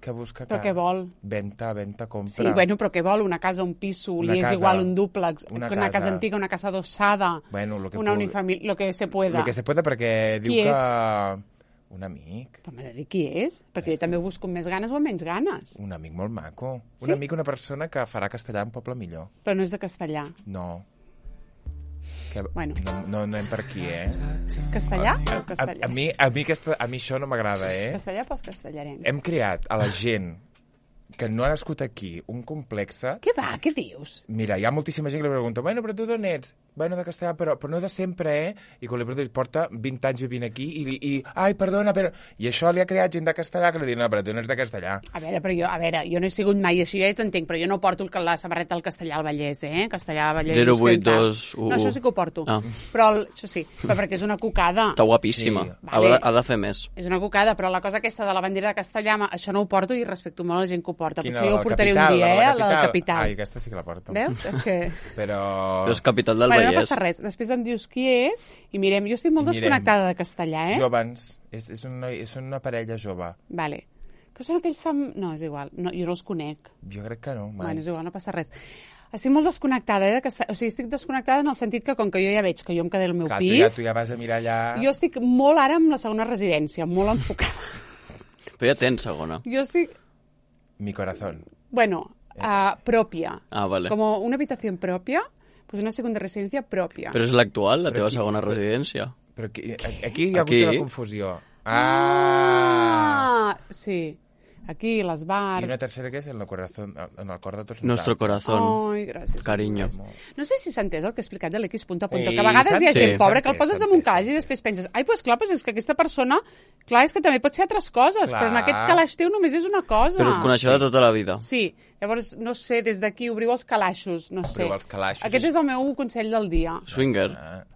que busca casa. Però què vol? Venta, compra. Sí, bueno, però què vol? Una casa, un piso, li és igual un dúplex, una casa antiga, una casa adossada, una unifamília, lo que se pueda. Lo que se pueda, perquè diu que... Un amic. Però m'ha de dir qui és, perquè jo també ho busco amb més ganes o amb menys ganes. Un amic molt maco. Un amic, una persona que farà Castellà un poble millor. Però no és de Castellà. No. Bueno. No anem per aquí, Castellà pels castellers. A mi això no m'agrada, Castellà pels castellarencs. Hem creat a la gent que no ha nascut aquí un complexe... Què va? Què dius? Mira, hi ha moltíssima gent que li pregunta, bueno, però tu d'on ets? Bueno, de Castellà, però no de sempre, I quan li preguntes, porta 20 anys vivint aquí i ai, perdona, però... I això li ha creat gent de Castellà que li diu, no, però tu no ets de Castellà. A veure, jo no he sigut mai així, ja t'entenc, però jo no porto la samarreta del Castellà al Vallès, Castellà, Vallès... 082... No, això sí que ho porto. Però això sí, però perquè és una cucada. Està guapíssima. Sí. Ha de fer més. És una cucada, però la cosa aquesta de la bandera de Castellà, això no ho porto i respecto molt a la gent que ho porta. Quina, potser jo ho portaré un dia, la del Capital. Ai, aquesta sí que la porto. Veus? Però és Capital del Vallès. No passa res. Després em dius qui és i mirem. Jo estic molt desconnectada de Castellà, Jovens. És una parella jove. Vale. Que són aquells... No, és igual. No, jo no els conec. Jo crec que no, mai. Bueno, és igual, no passa res. Estic molt desconnectada, de Castellà. O sigui, estic desconnectada en el sentit que, com que jo ja veig que jo em quedé al meu pis... Tu ja vas a mirar allà... Jo estic molt ara amb la segona residència, molt enfocada. Però ja tens segona. Jo estic... Mi corazón. Bueno, pròpia. Vale. Com una habitació pròpia, pues una segunda residencia pròpia. Però és l'actual, la teva segona residència. Però aquí hi ha hagut una confusió. Sí. Aquí, les bars... I una tercera que és en el cor de tots nosaltres. Nuestro corazón. Ai, gràcies. Cariño. No sé si s'ha entès el que he explicat de l'X. Que a vegades hi ha gent pobra que el poses en un calaix i després penses, ai, doncs clar, és que aquesta persona, clar, és que també pot ser altres coses, però en aquest calaix teu només és una cosa. Però us coneixeu de tota la vida. Sí. Llavors, no sé, des d'aquí, obriu els calaixos, no sé. Obriu els calaixos. Aquest és el meu consell del dia. Swinger.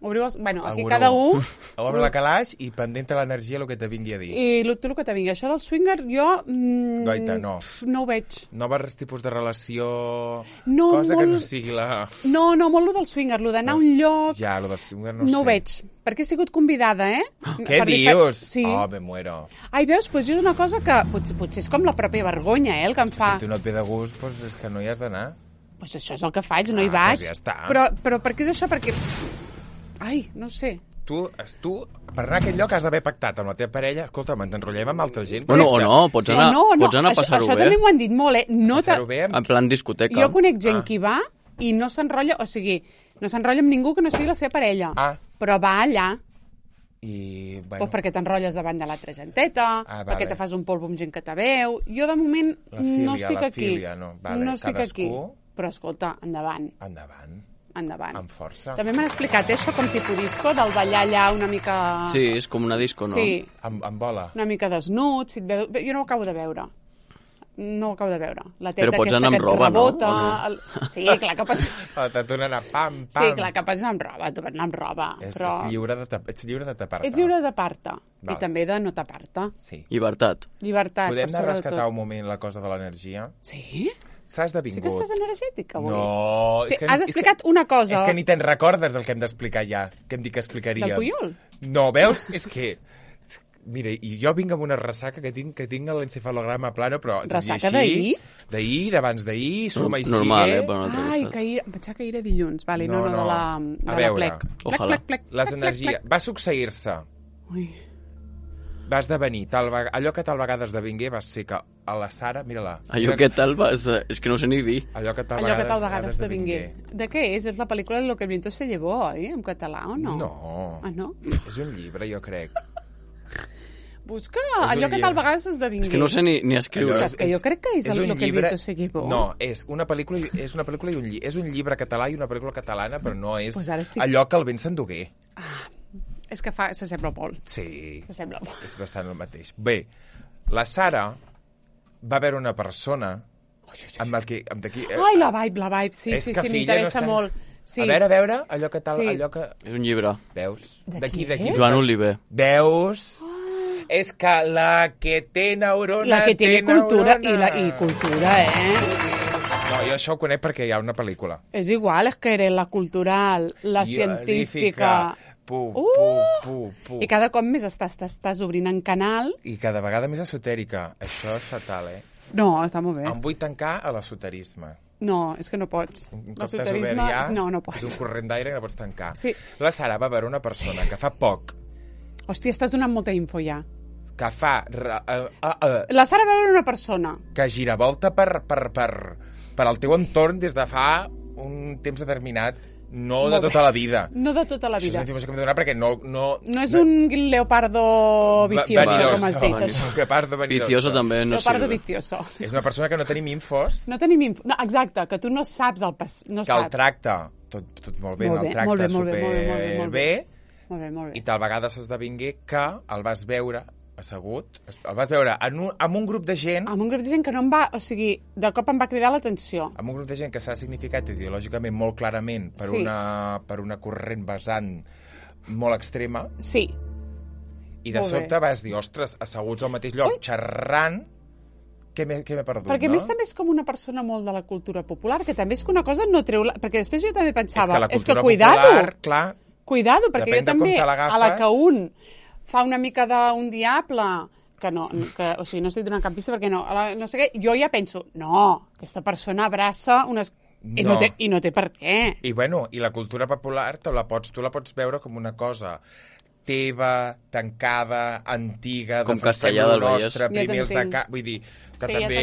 Obriu els... Bueno, aquí cada un... Obre la calaix i pendent l'energia el que te vingui a dir. I tu el que te vingui. Això del swinger, jo... Goita, no. No ho veig. No va res tipus de relació... Cosa que no sigui la... No, molt lo del swinger, lo d'anar a un lloc... Ja, lo del swinger no sé. No ho veig. Perquè he sigut convidada, Què dius? Sí. Oh, me muero. Ai, veus, doncs jo és una cosa que potser és com la pròpia vergonya, el que em fa... Si tu no et ve de gust, doncs és que no hi has d'anar. Doncs això és el que faig, no hi vaig. Doncs ja està. Però per què és això? Perquè... Ai, no sé. Tu, per anar a aquest lloc has d'haver pactat amb la teva parella. Escolta, ens enrotllem amb altra gent. Bueno, o no, pots anar a passar-ho bé. Això també m'ho han dit molt, Passar-ho bé en plan discoteca. Jo conec gent que va i no s'enrotlla, o sigui, no s'enrotlla amb ningú que no sigui la seva parella. Però va allà. I, bueno... Pues perquè t'enrotlles davant de l'altra genteta, perquè te fas un polvo amb gent que te veu. Jo, de moment, no estic aquí. No estic aquí. Però, escolta, endavant. Amb força. També m'han explicat això com tipus disco, del ballar allà una mica... Sí, és com una disco, no? Sí. Amb bola. Una mica desnut. Jo no ho acabo de veure. No ho acabo de veure. La teta però pots anar amb roba, rebota, no? Sí, clar que pots... T'atuna anar pam. Sí, clar que pots anar amb roba, tu pots anar amb roba. Ets lliure de tapar-te. Ets lliure de tapar-te. I també de no tapar-te. Sí. Llibertat. Podem anar a rescatar un moment la cosa de l'energia? Sí? S'ha esdevingut. Sí que estàs energètica avui. No. Has explicat una cosa. És que ni te'n recordes del que hem d'explicar ja, que hem dit que explicaríem. Del Puyol? No, veus? És que... Mira, i jo vinc amb una ressaca que tinc l'encefalograma plano, però... Ressaca d'ahir? D'ahir, d'abans d'ahir, suma i sigue... Normal, per una Ai, que ahir... Em pensava que ahir era dilluns. Vale, no, de la plec. Plec. Les energies... Va succeir-se. Ui. Va esdevenir. Allò que tal vegada esdevingué va ser que a la Sara... Mira-la. Allò que tal va... És que no sé ni dir. Allò que tal vegada esdevingué. De què és? És la pel·lícula Lo que el viento se llevó, oi? En català, o no? No. Ah, no? És un llibre, jo crec. Busca allò que tal vegada s'esdevingué. És que no sé ni escriure. És que jo crec que és Lo que el viento se llevó. No, és una pel·lícula i un llibre. És un llibre català i una pel·lícula catalana, però no és pues allò que el vent s'endugué. Ah, és que s'assembla molt. Sí. S'assembla molt. És bastant el mateix. Bé, la Sara va veure una persona amb d'aquí... Ai, la vibe, sí, m'interessa molt. Sí. A veure, allò que tal... Allò que... És un llibre. Veus? D'aquí. Joan Oliver. Veus? És que la que té neurona... La que té cultura i cultura, No, jo això ho conec perquè hi ha una pel·lícula. És igual, és que era la cultural, la científica... I cada cop més estàs obrint en canal. I cada vegada més esotèrica. Això és fatal, No, està molt bé. Em vull tancar a l'esoterisme. No, és que no pots. L'esoterisme... No pots. És un corrent d'aire que no pots tancar. Sí. La Sara va veure una persona que fa poc... Hòstia, estàs donant molta info ja. Que fa... La Sara va veure una persona. Que gira volta per al teu entorn des de fa un temps determinat. No de tota la vida. No de tota la vida. Això és una informació que m'he donat perquè no... No és un leopardo vicioso, com has dit. És un leopardo vanidoso. Vicioso també no leopardo vicioso. És una persona que no tenim infos. No tenim info. No, exacte, que tu no saps el no que el tracta tot molt bé, el tracta superbé. Molt bé. I tal vegada s'esdevingué que el vas veure assegut, el vas veure amb un grup de gent... Amb un grup de gent que no em va... O sigui, de cop em va cridar l'atenció. Amb un grup de gent que s'ha significat ideològicament molt clarament per una corrent vessant molt extrema. Sí. I de sobte vas dir, ostres, asseguts al mateix lloc, xerrant... Què m'he perdut, perquè a més també és com una persona molt de la cultura popular, que també és que una cosa no treu... Perquè després jo també pensava... És que la cultura popular, clar... Cuidado, perquè jo també, a la que un fa una mica d'un diable, o sigui, no estic donant cap pista perquè no sé què, jo ja penso, no, aquesta persona abraça unes... No. I no té per què. I bueno, i la cultura popular tu la pots veure com una cosa teva, tancada, antiga, com Castellà del Vallès. Primers de cap, vull dir, que sí, també...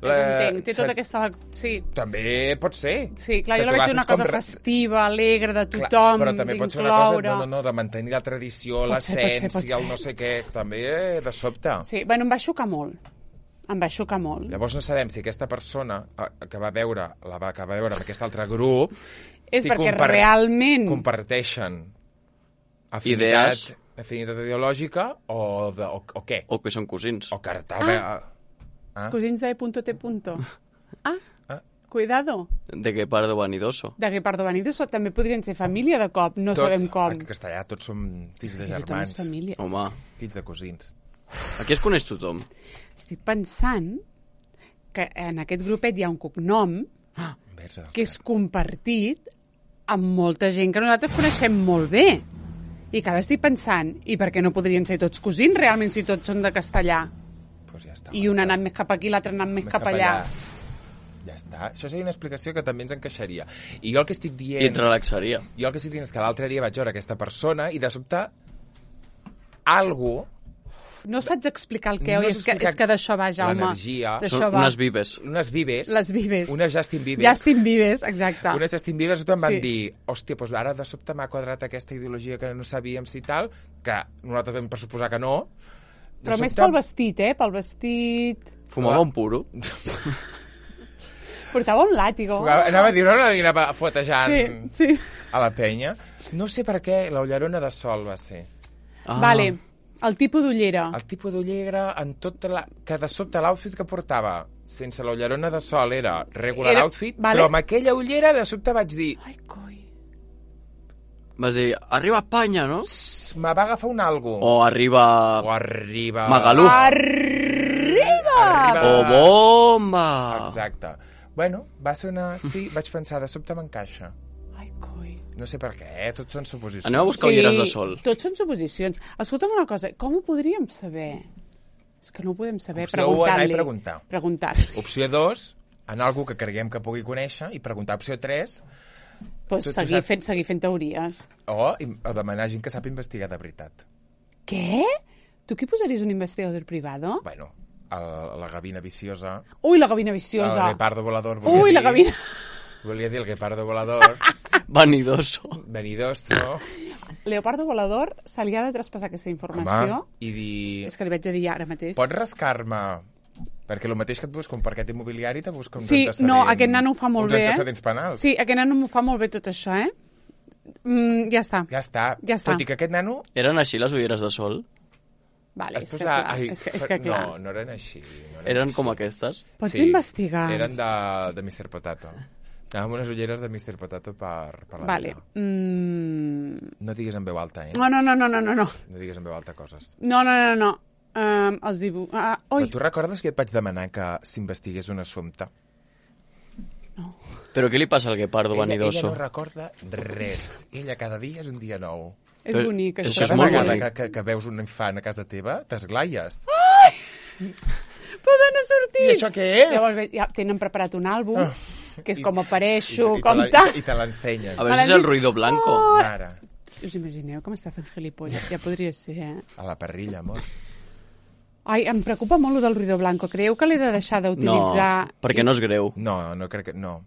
Ja t'entenc. Té tota aquesta... Sí. També pot ser. Sí, clar, jo la veig una cosa festiva, alegre, de tothom, però també pot ser una cosa de mantenir la tradició, l'essència, el no sé què, també de sobte. Sí, bueno, em va xocar molt. Llavors no sabem si aquesta persona que va veure amb aquest altre grup és perquè realment comparteixen afinitat ideològica o què? O que són cosins. O que cosins de .t. Cuidado. De Guepardo Vanidoso. De Guepardo Vanidoso. També podrien ser família de cop, no sabem com. En castellà tots som fills de germans. Home. Fills de cosins. Aquí es coneix tothom. Estic pensant que en aquest grupet hi ha un cognom que és compartit amb molta gent que nosaltres coneixem molt bé. I que ara estic pensant, i per què no podrien ser tots cosins realment si tots són de castellà? Pues ja està. I un ha anat més cap aquí, l'altre ha anat més cap allà. Ja està. Això seria una explicació que també ens encaixaria. I jo el que estic dient... I et relaxaria. Jo el que estic dient és que l'altre dia vaig veure aquesta persona i de sobte algú... No saps explicar el què, oi? És que d'això va, Jaume. L'energia. Són unes vives. Unes vives. Les vives. Unes Justin Bieber. Justin Bieber, exacte. Unes Justin Bieber em van dir, hòstia, doncs ara de sobte m'ha quadrat aquesta ideologia que no sabíem si tal, que nosaltres vam pressuposar que no. Però més pel vestit, Pel vestit... Fumava un puro. Portava un làtigo. Anava a dir, no anava fuetejant sí. A la penya. No sé per què la ullerona de sol va ser. Vale. El tipus d'ullera. El tipus d'ullera en tota que de sobte l'outfit que portava sense la ullerona de sol era regular outfit, però amb aquella ullera de sobte vaig dir... Ai, coi. Vas dir, arriba Espanya, no? Me va agafar un algo. O arriba... Magaluf. Arriba! O bomba! Exacte. Bueno, va ser una... Sí, vaig pensar, de sobte m'encaixa. Ai, coi. No sé per què, tots són suposicions. Anem a buscar ulleres de sol. Tots són suposicions. Escolta'm una cosa, com ho podríem saber? És que no ho podem saber. Opció 1, anar i preguntar. Opció 2, anar a algú que creguem que pugui conèixer i preguntar. Opció 3... Pues seguir fent teories. O demanar gent que sap investigar de veritat. Què? Tu qui posaries un investigador privado? Bueno, la gavina viciosa. Ui, la gavina viciosa. El guepardo volador. Ui, la gavina... Volia dir el guepardo volador. Vanidoso. Leopardo volador se li ha de traspassar aquesta informació. Home, i dir... És que li vaig a dir ara mateix. Pots rascar-me... Perquè el mateix que et busca un parquet immobiliari te busca uns antecedents... Sí, no, aquest nano ho fa molt bé, Uns antecedents penals. Sí, aquest nano m'ho fa molt bé tot això, Ja està. Ja està. Tot i que aquest nano... Eren així les ulleres de sol? Vale, és que clar. No eren així. Eren com aquestes? Pots investigar. Eren de Mr. Potato. Amb unes ulleres de Mr. Potato per la vida. No digues en veu alta, No. No digues en veu alta coses. No. Els dibuixos... Però tu recordes que et vaig demanar que s'investigués un assumpte? No. Però què li passa al guepardo vanidoso? Ella no recorda res. Ella cada dia és un dia nou. És bonic, això. Cada vegada que veus un infant a casa teva, t'esglaies. Ai! Poden sortir! I això què és? Llavors ja tenen preparat un àlbum, que és com apareixo, com tal. I te l'ensenyen. A veure si és el ruido blanco. Ara. Us imagineu com està fent gilipolles? Ja podria ser, A la parrilla, amor. Ai, em preocupa molt el del ruido blanco. Creieu que l'he de deixar d'utilitzar? No, perquè no és greu. No crec que... No.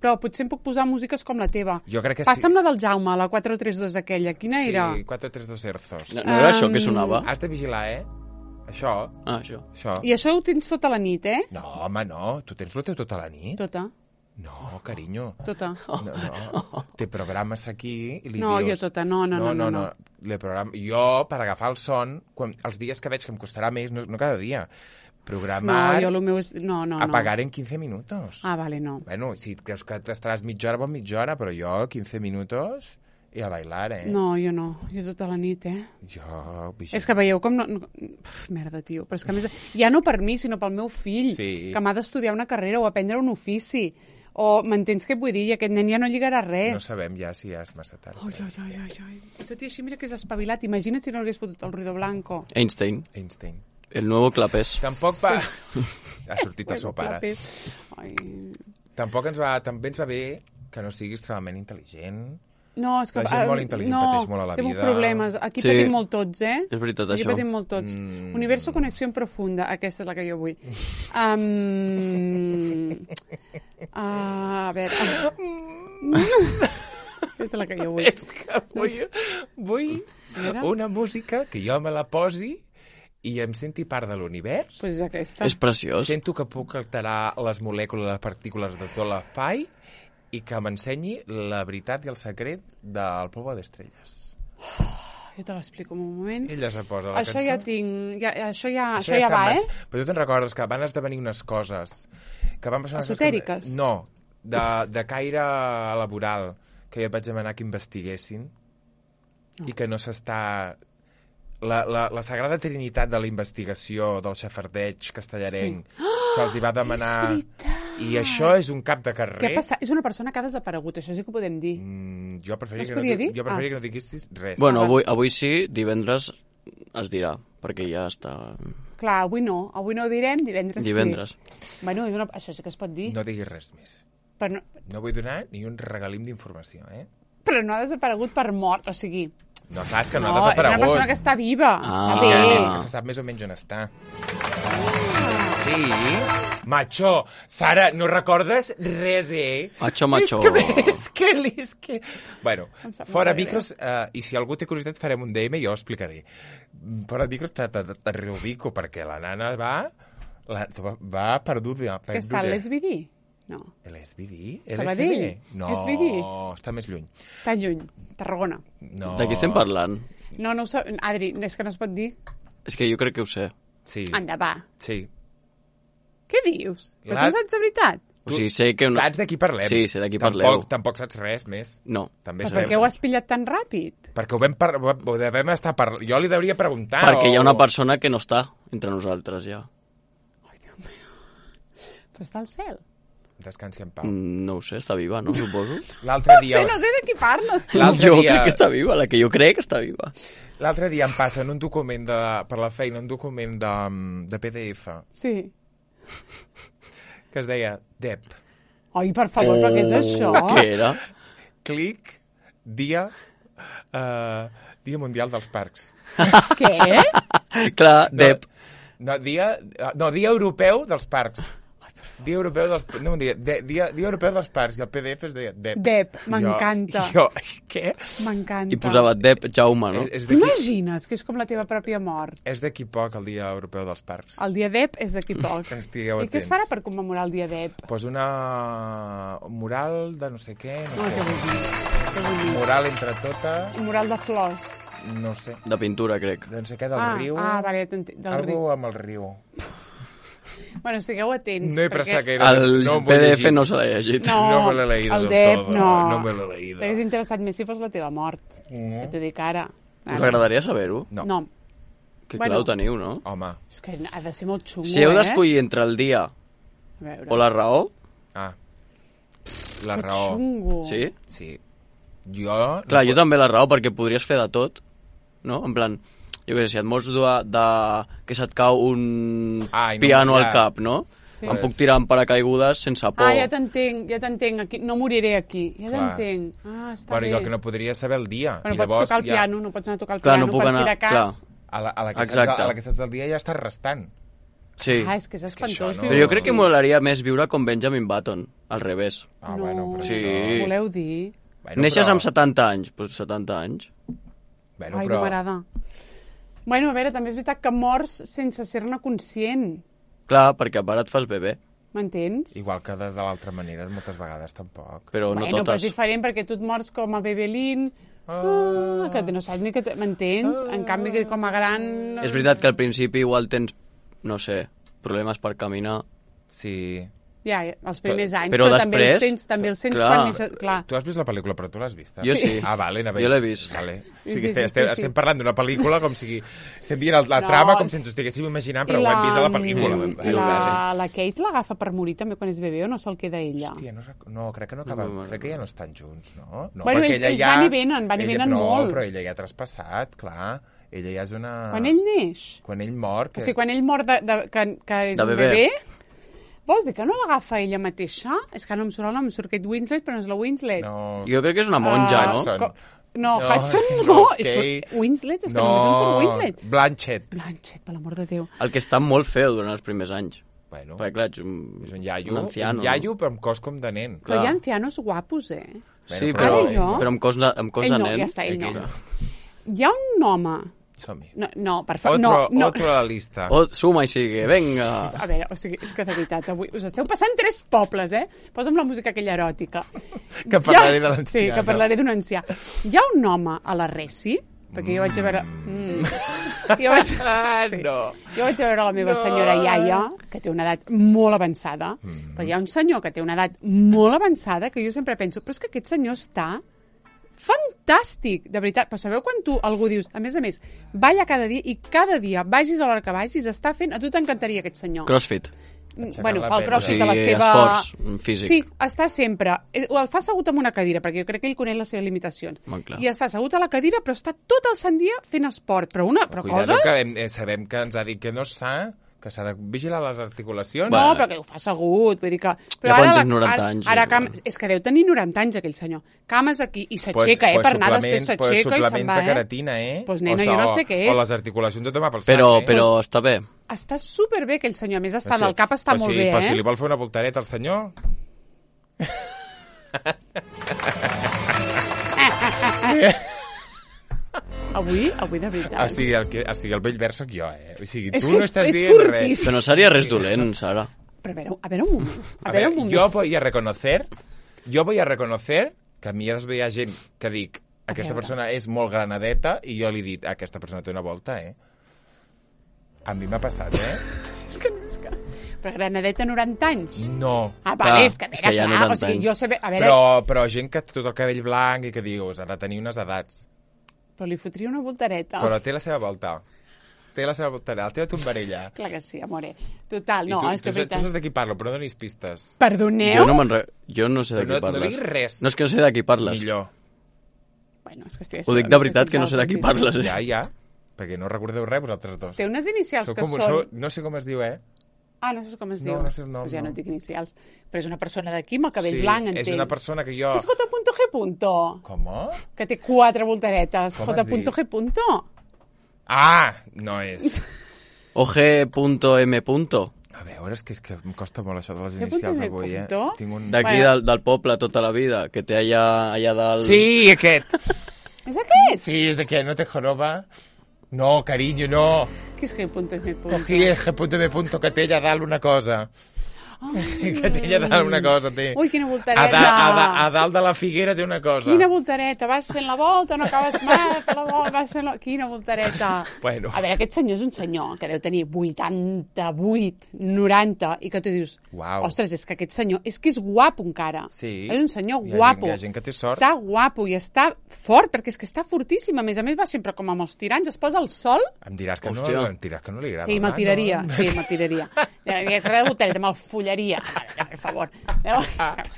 Però potser em puc posar músiques com la teva. Jo crec que Passa'm la del Jaume, la 432 aquella. Quina era? Sí, 432 Erzos. No era això que sonava? Has de vigilar, Això. Això. I això ho tens tota la nit, No, home, no. Tu tens el teu tota la nit? Tota. No, carinyo. Tota. No. Te programes aquí i li dius... No, jo tota, no. Le programa... Jo, per agafar el son, els dies que veig que em costarà més, no cada dia, programar... No, jo el meu és... No. Apagar en 15 minutos. Ah, vale, no. Bueno, si creus que t'estaràs mitja hora, mitja hora, però jo 15 minutos i a bailar, No, jo no. Jo tota la nit, Jo... És que veieu com no... merda, tio. Però és que a més... Ja no per mi, sinó pel meu fill, que m'ha d'estudiar una carrera o aprendre un ofici. O m'entens què vull dir? I aquest nen ja no lligarà res. No sabem ja si ja és massa tard. Ai. Tot i així, mira que és espavilat. Imagina't si no hagués fotut el ruido blanco. Einstein. El nuevo Clapés. Tampoc va... Ha sortit el seu pare. Ai. Tampoc també ens va bé que no siguis extremadament intel·ligent. No, és que... La gent molt intel·ligent pateix molt a la vida. Té problemes. Aquí patim molt tots, És veritat, Aquí això. patim molt tots. Universo Connexió Profunda. Aquesta és la que jo vull. A veure... Aquesta és la que jo vull. És que vull una música que jo me la posi i em senti part de l'univers. Pues és aquesta. És preciós. Sento que puc alterar les molècules, les partícules de tot l'espai i que m'ensenyi la veritat i el secret del Polvo d'Estrelles. Jo te l'explico en un moment. Ella se posa la això cançó. Ja tinc... Això ja va, Però tu te'n recordes que van esdevenir unes coses que van passar... Esotèriques? No, de caire laboral, que jo et vaig demanar que investiguessin i que no s'està... La Sagrada Trinitat de la investigació del xafardeig castellarenc se'ls hi va demanar... És veritat! I això és un cap de carrer... Què passa? És una persona que ha desaparegut, això sí que ho podem dir. Jo preferiria que no diguessis res. Bueno, avui sí, divendres es dirà, perquè ja està... Clar, avui no ho direm, divendres sí. Bueno, això sí que es pot dir. No diguis res més. Però no vull donar ni un regalim d'informació, Però no ha desaparegut per mort, o sigui... No, clar, és que no ha desaparegut. És una persona que està viva, està bé. És que se sap més o menys on està. Sí, macho, Sara, no recordes res, Macho. És que... Bueno, fora micros, i si algú té curiositat farem un DM i jo ho explicaré. Fora micros te reubico, perquè la nana va perduda. Que està a l'SBD? No. L'SBD? Sabadell? No, està més lluny. Està lluny, Tarragona. No. De qui estem parlant? No ho sé. Adri, és que no es pot dir. És que jo crec que ho sé. Sí. Anda, va. Sí. Què dius? Però tu saps de veritat? O sigui, sé que... Saps de qui parlem? Sí, sé de qui parleu. Tampoc saps res més. No. També per què ho has pillat tan ràpid? Perquè ho devem estar parlant. Jo li devia preguntar. Perquè hi ha una persona que no està entre nosaltres, ja. Ai, Déu meu. Però està al cel. Descansi en pau. No ho sé, està viva, no? Suposo. L'altre dia... No sé de qui parles. Jo crec que està viva, la que jo crec que està viva. L'altre dia em passen un document per la feina, un document de PDF. Sí. Que es deia DEP. Ai, per favor, però què és això? Què era? Clic, dia mundial dels parcs. Què? Clar, DEP. Dia europeu dels parcs. Dia europeu dels... No, dia europeu dels parcs, i el PDF es deia DEP. DEP, m'encanta. Què? M'encanta. I posava DEP Jaume, no? T'imagines que és com la teva pròpia mort? És d'aquí poc, el dia europeu dels parcs. El dia DEP és d'aquí poc. Estigueu atents. I què es farà per commemorar el dia DEP? Pues una mural de no sé què, no sé. Què vull dir? Mural entre totes. Mural de flors. No sé. De pintura, crec. De no sé què, del riu. Vale, del riu. Algo amb el riu. Bueno, estigueu atents. No he prestat gaire. El PDF no se l'ha llegit. No me l'he leído el del DEP, todo. No me l'he leído. T'hagués interessat més si fos la teva mort. Ja t'ho dic ara. Us agradaria saber-ho? No. Que clar ho teniu, no? Home. És que ha de ser molt xungo, Si heu d'escollir entre el dia o la raó... La raó. Xungo. Sí? Sí. Clar, jo també la raó, perquè podries fer de tot, no? En plan... Jo què sé, si et mors que se't cau un piano al cap, no? Sí. Em puc tirar en paracaigudes sense por. Ja t'entenc. Aquí, no moriré aquí. Ja t'entenc. Està però bé. jo que no podria saber el dia. Però pots tocar el piano, no pots anar a tocar el clar, piano no puc per anar, si de cas. A la que saps el dia ja estàs restant. Sí. És que és espantós. Però jo crec que molaria més viure com Benjamin Button, al revés. No, però sí. Voleu dir? Neixes amb 70 anys, doncs 70 anys. Ai, no m'agrada. Bueno, a veure, també és veritat que mors sense ser-ne conscient. Clar, perquè a part et fas bebè. M'entens? Igual que de l'altra manera, moltes vegades tampoc. Però no totes. Però és diferent perquè tu et mors com a bebelín, que no saps ni que... M'entens? En canvi, que com a gran... És veritat que al principi igual tens, no sé, problemes per caminar. Sí. Ja, els primers anys, però després, també els tens clar. quan neixes... Clar. Tu has vist la pel·lícula, però tu l'has vista? Jo sí. Vale, jo l'he vist. Vale. Sí, estem parlant d'una pel·lícula com si... Estem dient la trama com si ens ho estiguéssim imaginant, però ho hem vist a la pel·lícula. La Kate l'agafa per morir també quan és bebè o no se'l queda ella? Hòstia, no, crec que no acaba... Crec que ja no estan junts, no? Bueno, ells van i venen molt. No, però ella ja ha traspassat, clar. Ella ja és una... Quan ell neix? Quan ell mor... O sigui, quan ell mor que és un bebè... Vols dir que no l'agafa ella mateixa? És que no em surt el nom, em surt Kate Winslet, però no és la Winslet. No. Jo crec que és una monja, no? No, Hudson no. Winslet, és que només em surt Winslet. Blanchett, per l'amor de Déu. El que està molt feo durant els primers anys. Bueno, perquè, clar, és un iaio. Un anciano. Un iaio, però amb cos com de nen. Però hi ha ancianos guapos, Sí, però amb cos de nen. Ja està, ell no. Hi ha un home... Som-hi. No, per favor, no. Otro a la lista. Suma i sigue, venga. A veure, o sigui, és que de veritat, avui us esteu passant 3 pobles, Posa'm la música aquella eròtica. Que parlaré de l'ancià. Sí, que parlaré d'un ancià. Hi ha un home a la Resi, perquè jo vaig a veure... Jo vaig a veure la meva senyora iaia, que té una edat molt avançada, però hi ha un senyor que té una edat molt avançada que jo sempre penso, però és que aquest senyor està... fantàstic, de veritat. Però sabeu quan tu algú dius, a més, balla cada dia i cada dia, vagis a l'hora que vagis, està fent... A tu t'encantaria aquest senyor. Crossfit. Bueno, fa el crossfit a la seva... Esforç físic. Sí, està sempre... El fa assegut en una cadira, perquè jo crec que ell coneix les seves limitacions. I està assegut a la cadira, però està tot el sant dia fent esport. Però coses... que sabem que ens ha dit que no és sa, que s'ha de vigilar les articulacions. No, però que ho fa assegut, vull dir que... Però ja quan tens 90 anys. És que deu tenir 90 anys, aquell senyor. Cames aquí, i s'aixeca, per anar després s'aixeca i se'n va, suplements de queratina, Pues nena, jo no sé què és. O les articulacions de tomar pel sac, Però està bé. Està superbé, aquell senyor. A més, el cap està molt bé, Però si li vol fer una voltareta al senyor... Avui, de veritat. O sigui, el vell verd soc jo, O sigui, tu no estàs dient res. Però no seria res dolent, Sara. Però a veure un moment. Jo voy a reconocer que a mi hi ha gent que dic aquesta persona és molt granadeta i jo li he dit, aquesta persona té una volta, A mi m'ha passat, És que... Però granadeta 90 anys? No. Vale, és que a veure, clar, o sigui, jo sé... Però gent que té tot el cabell blanc i que dius, ha de tenir unes edats. Però li fotria una voltareta. Però té la seva volta. té la seva voltarella, la teva tombarella. Clar que sí, amore. Total, no, és que... Tu saps de qui parlo, però no donis pistes. Perdoneu? Jo no sé de qui parles. No diguis res. No, és que no sé de qui parles. Millor. Bueno, és que estic... Ho dic de veritat que no sé de qui parles. Ja, perquè no recordeu res vosaltres dos. Té unes inicials que són... No sé com es diu, Ah, no sé com es diu. No sé el nom. Pues ja no dic inicials. Però és una persona d'aquí amb el cabell blanc, entenc. Sí, és una persona que jo... És J.G. Com? Que té 4 voltaretes. Com has dit? J.G. Ah, no és. O G.M. A veure, és que em costa molt això de les inicials avui, Tinc un... D'aquí del poble tota la vida, que té allà dalt... Sí, aquest. És aquest? Sí, és aquest, no te joroba. No, carinyo, no. Què és G.M. Cogí el G.M. que té allà dalt una cosa. Que té allà dalt una cosa, té. Ui, quina voltareta. A dalt de la figuera té una cosa. Quina voltareta. Vas fent la volta, no acabes mai, fent la volta, vas fent la... Quina voltareta. Bueno. A veure, aquest senyor és un senyor que deu tenir 88, 90, i que tu dius, ostres, és que aquest senyor, és que és guapo encara. Sí. És un senyor guapo. Hi ha gent que té sort. Està guapo i està fort, perquè és que està fortíssim. A més va sempre com amb els tirants, es posa al sol. Em diràs que no li agrada. Sí, me'l tiraria. No? Sí, me'l tiraria. Res de voltareta, me'l follaria. Per favor. Per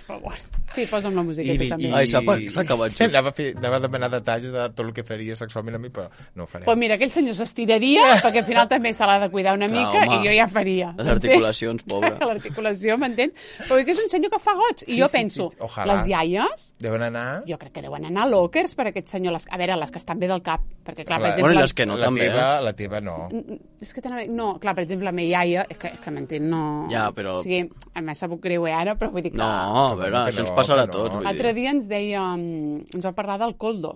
favor. Sí, posa'm la música, tu també. Ai, s'ha acabat just. Anava a demanar detalls de tot el que faria sexualment a mi, però no ho farem. Pues mira, aquell senyor s'estiraria, perquè al final també se l'ha de cuidar una mica, i jo ja faria. Les articulacions, pobre. L'articulació, m'entens? Però que és un senyor que fa goig. I jo penso, les iaies... Deuen anar... Jo crec que deuen anar lockers per aquest senyor. A veure, les que estan bé del cap. Perquè, clar, per exemple... Bueno, les que no, també. La teva no. És que no, clar, per exemple, la meva iaia, és que m'entén, no... Ja, però... O sigui, m'ha sabut greu, ara, però vull dir que... No, a veure, això ens passarà a tots, vull dir. L'altre dia ens deia... Ens va parlar del coldo.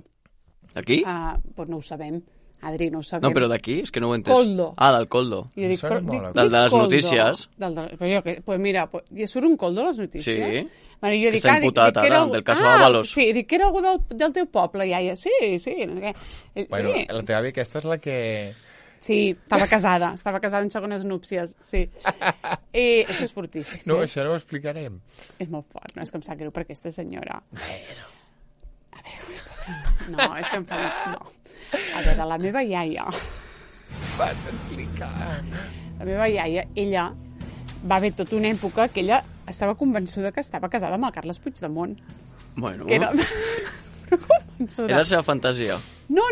D'aquí? Doncs no ho sabem. Adri, no ho sabem. No, però d'aquí? És que no ho he entès. Coldo. Ah, del coldo. Jo dic, del de les notícies. Però jo, pues mira, ja surt un coldo a les notícies? Sí. Bueno, jo dic, està imputat ara, del cas Ábalos. Sí, dic que era algú del teu poble, iaia. Sí. Bueno, la teva àvia aquesta és la que... Sí, estava casada en segones núpcies, sí. I això és fortíssim. No, això no ho explicarem. És molt fort, no? És que em sap greu per aquesta senyora. Bueno. A veure, no, és que em fa... No. A veure, la meva iaia... Vas explicar. La meva iaia, ella va haver tota una època que ella estava convençuda que estava casada amb el Carles Puigdemont. Bueno... Que era... convençuda. Era la seva fantasia. No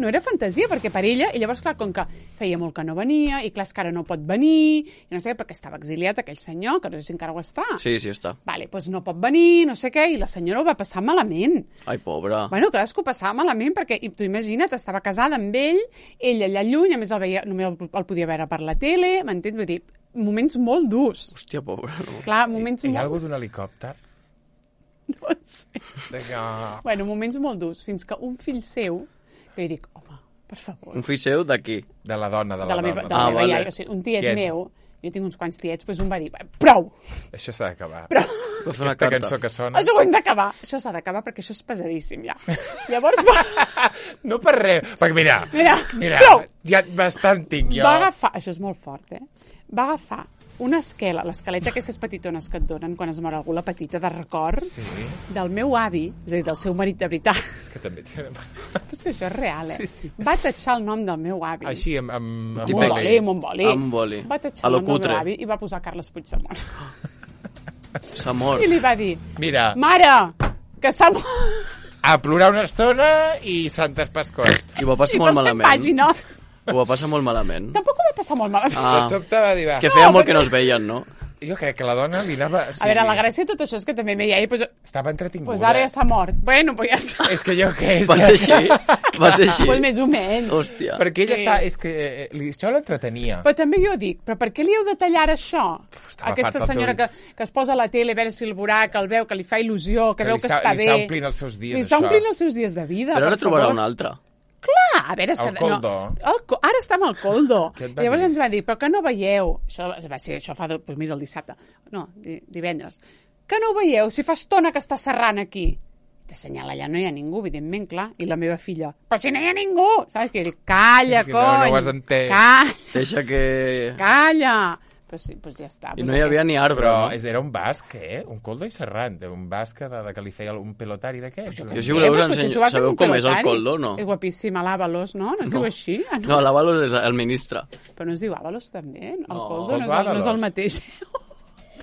era fantasia, perquè per ella, i llavors, clar, com que feia molt que no venia, i clar, és que ara no pot venir, i no sé què, perquè estava exiliat aquell senyor, que no sé si encara ho està. Sí, està. Vale, doncs no pot venir, no sé què, i la senyora ho va passar malament. Ai, pobra. Bueno, clar, és que ho passava malament, perquè, tu imagina't, estava casada amb ell allà lluny, a més només el podia veure per la tele, m'entens? Vull dir, moments molt durs. Hòstia, pobra, no. Clar, moments molt... Hi ha molt... algú d'un helicòpter? No sé. Bueno, moments molt durs, fins que un fill seu, que jo dic, home, per favor. Un fill seu d'aquí? De la dona, de la meva iaia, o sigui, un tiet meu, jo tinc uns quants tiets, doncs un va dir, prou! Això s'ha d'acabar. Prou! Aquesta cançó que sona... Això ho hem d'acabar. Això s'ha d'acabar perquè això és pesadíssim, ja. Llavors No per res, perquè mira, prou! Ja bastant tinc jo. Va agafar, això és molt fort, va agafar una esquela, l'esqueleta aquestes petitones que et donen quan es mor algú, la petita de record, del meu avi, és a dir, del seu marit de veritat. És que també té... Però és que això és real, Va tatxar el nom del meu avi. Així, amb un boli. Amb boli. Va tatxar el nom del meu avi i va posar Carles Puigdemont. S'ha mort. I li va dir, mira, mare, que s'ha mort. A plorar una estona i santes pascors. I ho va passar molt malament. Pàgina. Ho va passar molt malament. Tampoc ho va passar molt malament. De sobte va dir, va. És que feia molt que no es veien, no? Jo crec que la dona li anava... A veure, la gràcia de tot això és que també me iaia... Estava entretinguda. Pues ara ja s'ha mort. Bueno, pues ja està. És que jo què? Va ser així? Pues més o menys. Hòstia. Perquè ella està... És que això l'entretenia. Però també jo dic, però per què li heu de tallar això? Aquesta senyora que es posa a la tele a veure si el veurà, que el veu, que li fa il·lusió, que veu que està bé. Li està omplint els seus dies, això. Li està omplint els seus dies de vida, però ara trobarà un altre. Clar, a veure... El coldo. Ara està amb el coldo. Llavors ens va dir, però que no veieu... Això fa, mira, el dissabte. No, divendres. Que no ho veieu, si fa estona que està serrant aquí. T'assenyala, allà no hi ha ningú, evidentment, clar. I la meva filla, però si no hi ha ningú! Saps? Que jo dic, calla, cony! No ho has entès. Calla! Deixa que... Calla! Pues sí, pues ja està. I no hi havia ni arbre, Però no? era un basc, un coldo i serrant, un basc que li feia un pelotari d'aquest. Jo si voleu us ensenyo. Sabeu com és el coldo, no? És guapíssim, a l'Àvalos, no? No es diu així? No, l'Àvalos és el ministre. Però no es diu Àvalos, també? El coldo Coldo no és el mateix.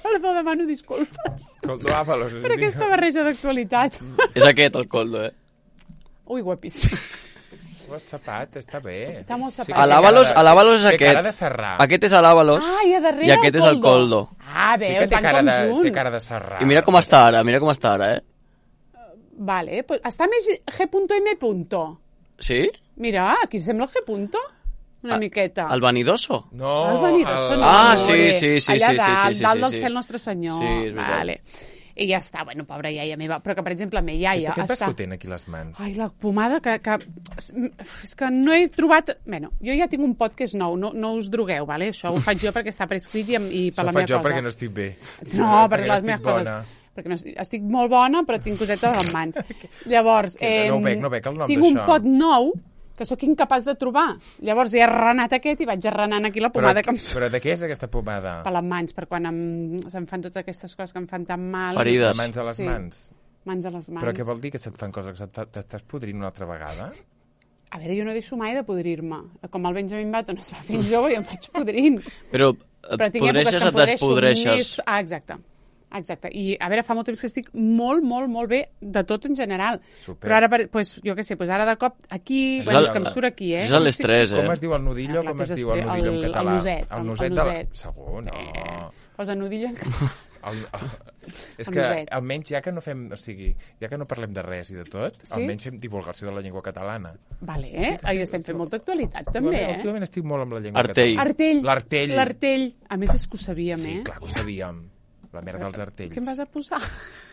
Perdó, demano disculpes. Coldo Àvalos. Per aquesta barreja d'actualitat. És aquest, el coldo, Ui, guapíssim. Sapat, està bé. Està molt sapat. A l'Àvalos és aquest. Té cara de serrar. Aquest és l'Àvalos i a darrere i aquest és el coldo. Ah, veus, van com junts. Té cara de serrar. I mira com està ara, Vale, pues està més G.M. Sí? Mira, aquí sembla el G. Una miqueta. El vanidoso? No. El vanidoso, no. Ah, sí. Allà dalt del cel Nostre Senyor. Sí, és veritat. Vale. I ja està, bueno, pobra iaia meva. Però que, per exemple, me iaia... Què et vas fotent aquí les mans? Ai, la pomada que... És que no he trobat... Bueno, jo ja tinc un pot que és nou, no us drogueu, vale? Això ho faig jo perquè està prescrit i per la meva cosa. Això ho faig jo perquè no estic bé. No, perquè les meves coses... Perquè no, estic molt bona, però tinc cosetes a les mans. Llavors, no bec el nom d'això. tinc un pot nou que sóc incapaç de trobar. Llavors he arrenat aquest i vaig arrenant aquí la pomada que em surt. Però de què és aquesta pomada? Per les mans, per quan se'm fan totes aquestes coses que em fan tan mal. Ferides. De mans a les mans? Mans a les mans. Però què vol dir que se't fan coses que t'estàs podrint una altra vegada? A veure, jo no deixo mai de podrir-me. Com el Benjamin Button es va fent jove i em vaig podrint. Però et podreixes o t'espodreixes? Exacte. I, a veure, fa molt temps que estic molt bé de tot en general. Super. Però ara, pues, jo què sé, pues ara de cop aquí... Bueno, és que em surt aquí, És l'estrès, Com es diu el nudillo? Com es diu el nudillo en català? El noset. Segur, no. Posa nudillo en català. És que almenys ja que no fem, o sigui, ja que no parlem de res i de tot, almenys fem divulgació de la llengua catalana. Vale, ahí estem fent molta actualitat també, Últimament estic molt amb la llengua catalana. L'artell. A més és que ho sabíem, Sí, clar que ho sabíem. La merda dels artells. Què em vas a posar?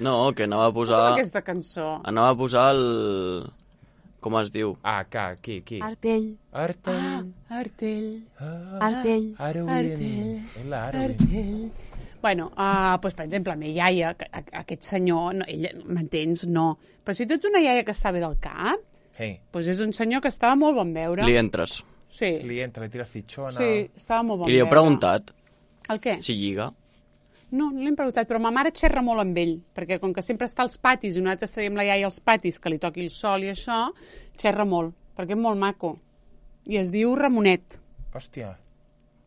No, que anava a posar... Posa'm aquesta cançó. Anava a posar el... Com es diu? Qui? Artell. Bueno, pues, per exemple, la meva iaia, aquest senyor, ell, m'entens? No. Però si tu ets una iaia que està bé del cap, doncs és un senyor que estava molt bon veure. Li entres. Sí. Li tira fitxona. Sí, estava molt bon veure. I li he preguntat. El què? Si lliga. No l'hem preguntat, però ma mare xerra molt amb ell, perquè com que sempre està als patis i nosaltres traiem la iaia als patis, que li toqui el sol i això, xerra molt, perquè és molt maco. I es diu Ramonet. Hòstia.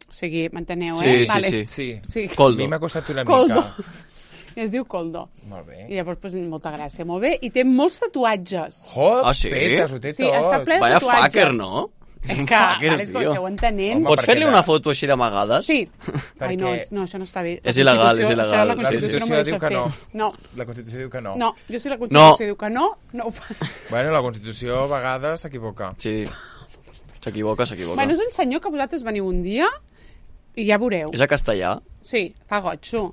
O sigui, m'enteneu, Sí. Coldo. A mi m'ha costat una mica. I es diu Coldo. Molt bé. I llavors, pues, molta gràcia, molt bé. I té molts tatuatges. Sí? Petes, ho té tot. Sí, està ple de Vaya tatuatges. fucker, no? És que, vale, és que ho esteu entenent. Pots fer-li una foto així d'amagades? Sí. Ai, no, això no està bé. És il·legal, és il·legal. Això la Constitució diu que no. No. La Constitució diu que no. No, jo si la Constitució diu que no ho fa. Bueno, la Constitució a vegades s'equivoca. Sí. S'equivoca. Bueno, és un senyor que vosaltres veniu un dia i ja veureu. És a castellà? Sí, fa gotxo.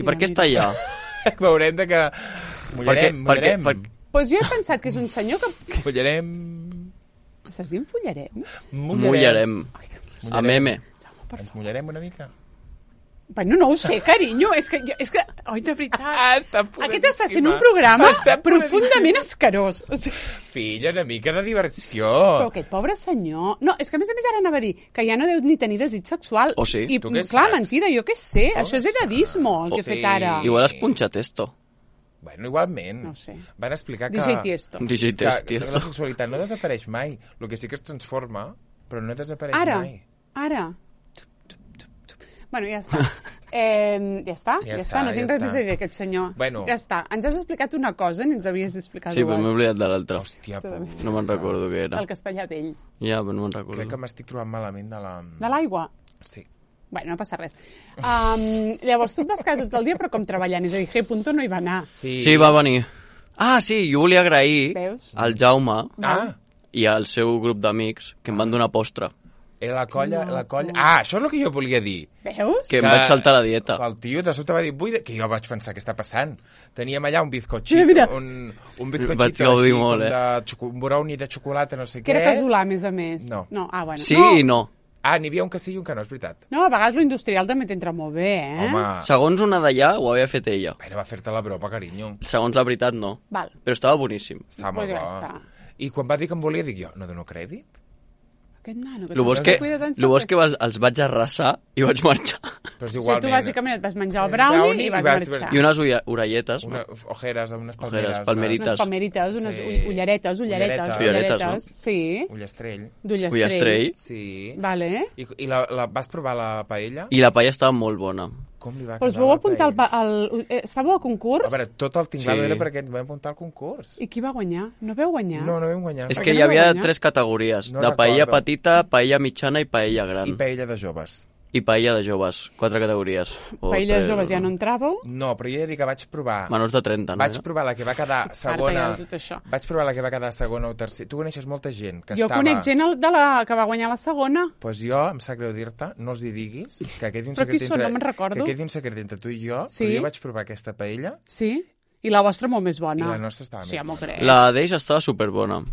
I per què està allà? Veurem de que... Mullarem. Pues jo he pensat que és un senyor que... Follarem. Estàs dient follarem? Mullarem. A meme. Ens mullarem una mica? Bueno, no ho sé, carinyo. És que oi, de veritat. Aquest està sent un Està programa profundament escarós. O sigui... Filla, una mica de diversió. Però aquest pobre senyor... No, és que a més ara anava a dir que ja no deu ni tenir desig sexual. O sí? I, Tu què clar, saps? mentida, jo què sé. Això és edadismo, el que he fet ara. Igual has punxat esto. Bueno, igualment. No ho sé. Van explicar que... DJ Tiesto. Que la sexualitat no desapareix mai. El que sí que es transforma, però no desapareix mai. Ara. Bueno, ja està. Ja està. No tinc res més a dir d'aquest senyor. Bueno. Ja està. Ens has explicat una cosa, ni ens havies d'explicar dues. Sí, però m'he oblidat de l'altra. Hòstia, no me'n recordo què era. El castellà vell. Ja, però no me'n recordo. Crec que m'estic trobant malament de la... De l'aigua? Sí. Bueno, no passa res. Llavors, tu et vas quedar tot el dia, però com treballant. És a dir, G. no hi va anar. Sí, va venir. Ah, sí, jo volia agrair al Jaume i al seu grup d'amics que em van donar postre. Era la colla... Ah, això és el que jo volia dir. Veus? Que em vaig saltar la dieta. El tio de sobte va dir, que jo vaig pensar, què està passant? Teníem allà un bizcochito, un bizcochito així, un brownie de xocolata, no sé què. Que era casolà, a més. No. Bueno. Sí i no. Ah, n'hi havia un que sí i un que no, és veritat. No, a vegades lo industrial també t'entra molt bé, Home. Segons una d'allà, ho havia fet ella. Però va fer-te la broma, carinyo. Segons la veritat, no. Val. Però estava boníssim. Estava molt bo. I quan va dir que em volia, dic jo, no dono crèdit? aquest nano, El bo és que els vaig arrasar i vaig marxar. Però és igualment. O sigui, tu bàsicament et vas menjar el brownie i vas marxar. I unes orelletes. Unes ojeres, unes palmerites. Unes palmerites, unes ulleretes. Sí. Ullastrell. Ullastrell. Sí. Vale. I vas provar la paella? I la paella estava molt bona. Com li va quedar la paella? Estava al concurs? A veure, tot el tinglado era perquè ens vam apuntar al concurs. I qui va guanyar? No vau guanyar? No vam guanyar. És que hi havia 3 categories, de paella petita, paella mitjana i paella gran. I paella de joves. I paella de joves, 4 categories. Paella de joves ja no entràveu? No, però jo he de dir que vaig provar... Menors de 30, no? Vaig provar la que va quedar segona... Vaig provar la que va quedar segona o tercera. Tu coneixes molta gent que estava... Jo conec gent de la que va guanyar la segona. Doncs jo, em sap greu dir-te, no els hi diguis, que quedi un secret entre... No me'n recordo. Que quedi un secret entre tu i jo, sí? Però jo vaig provar aquesta paella... Sí? I la vostra molt més bona. I la nostra estava més bona. La d'ells estava superbona.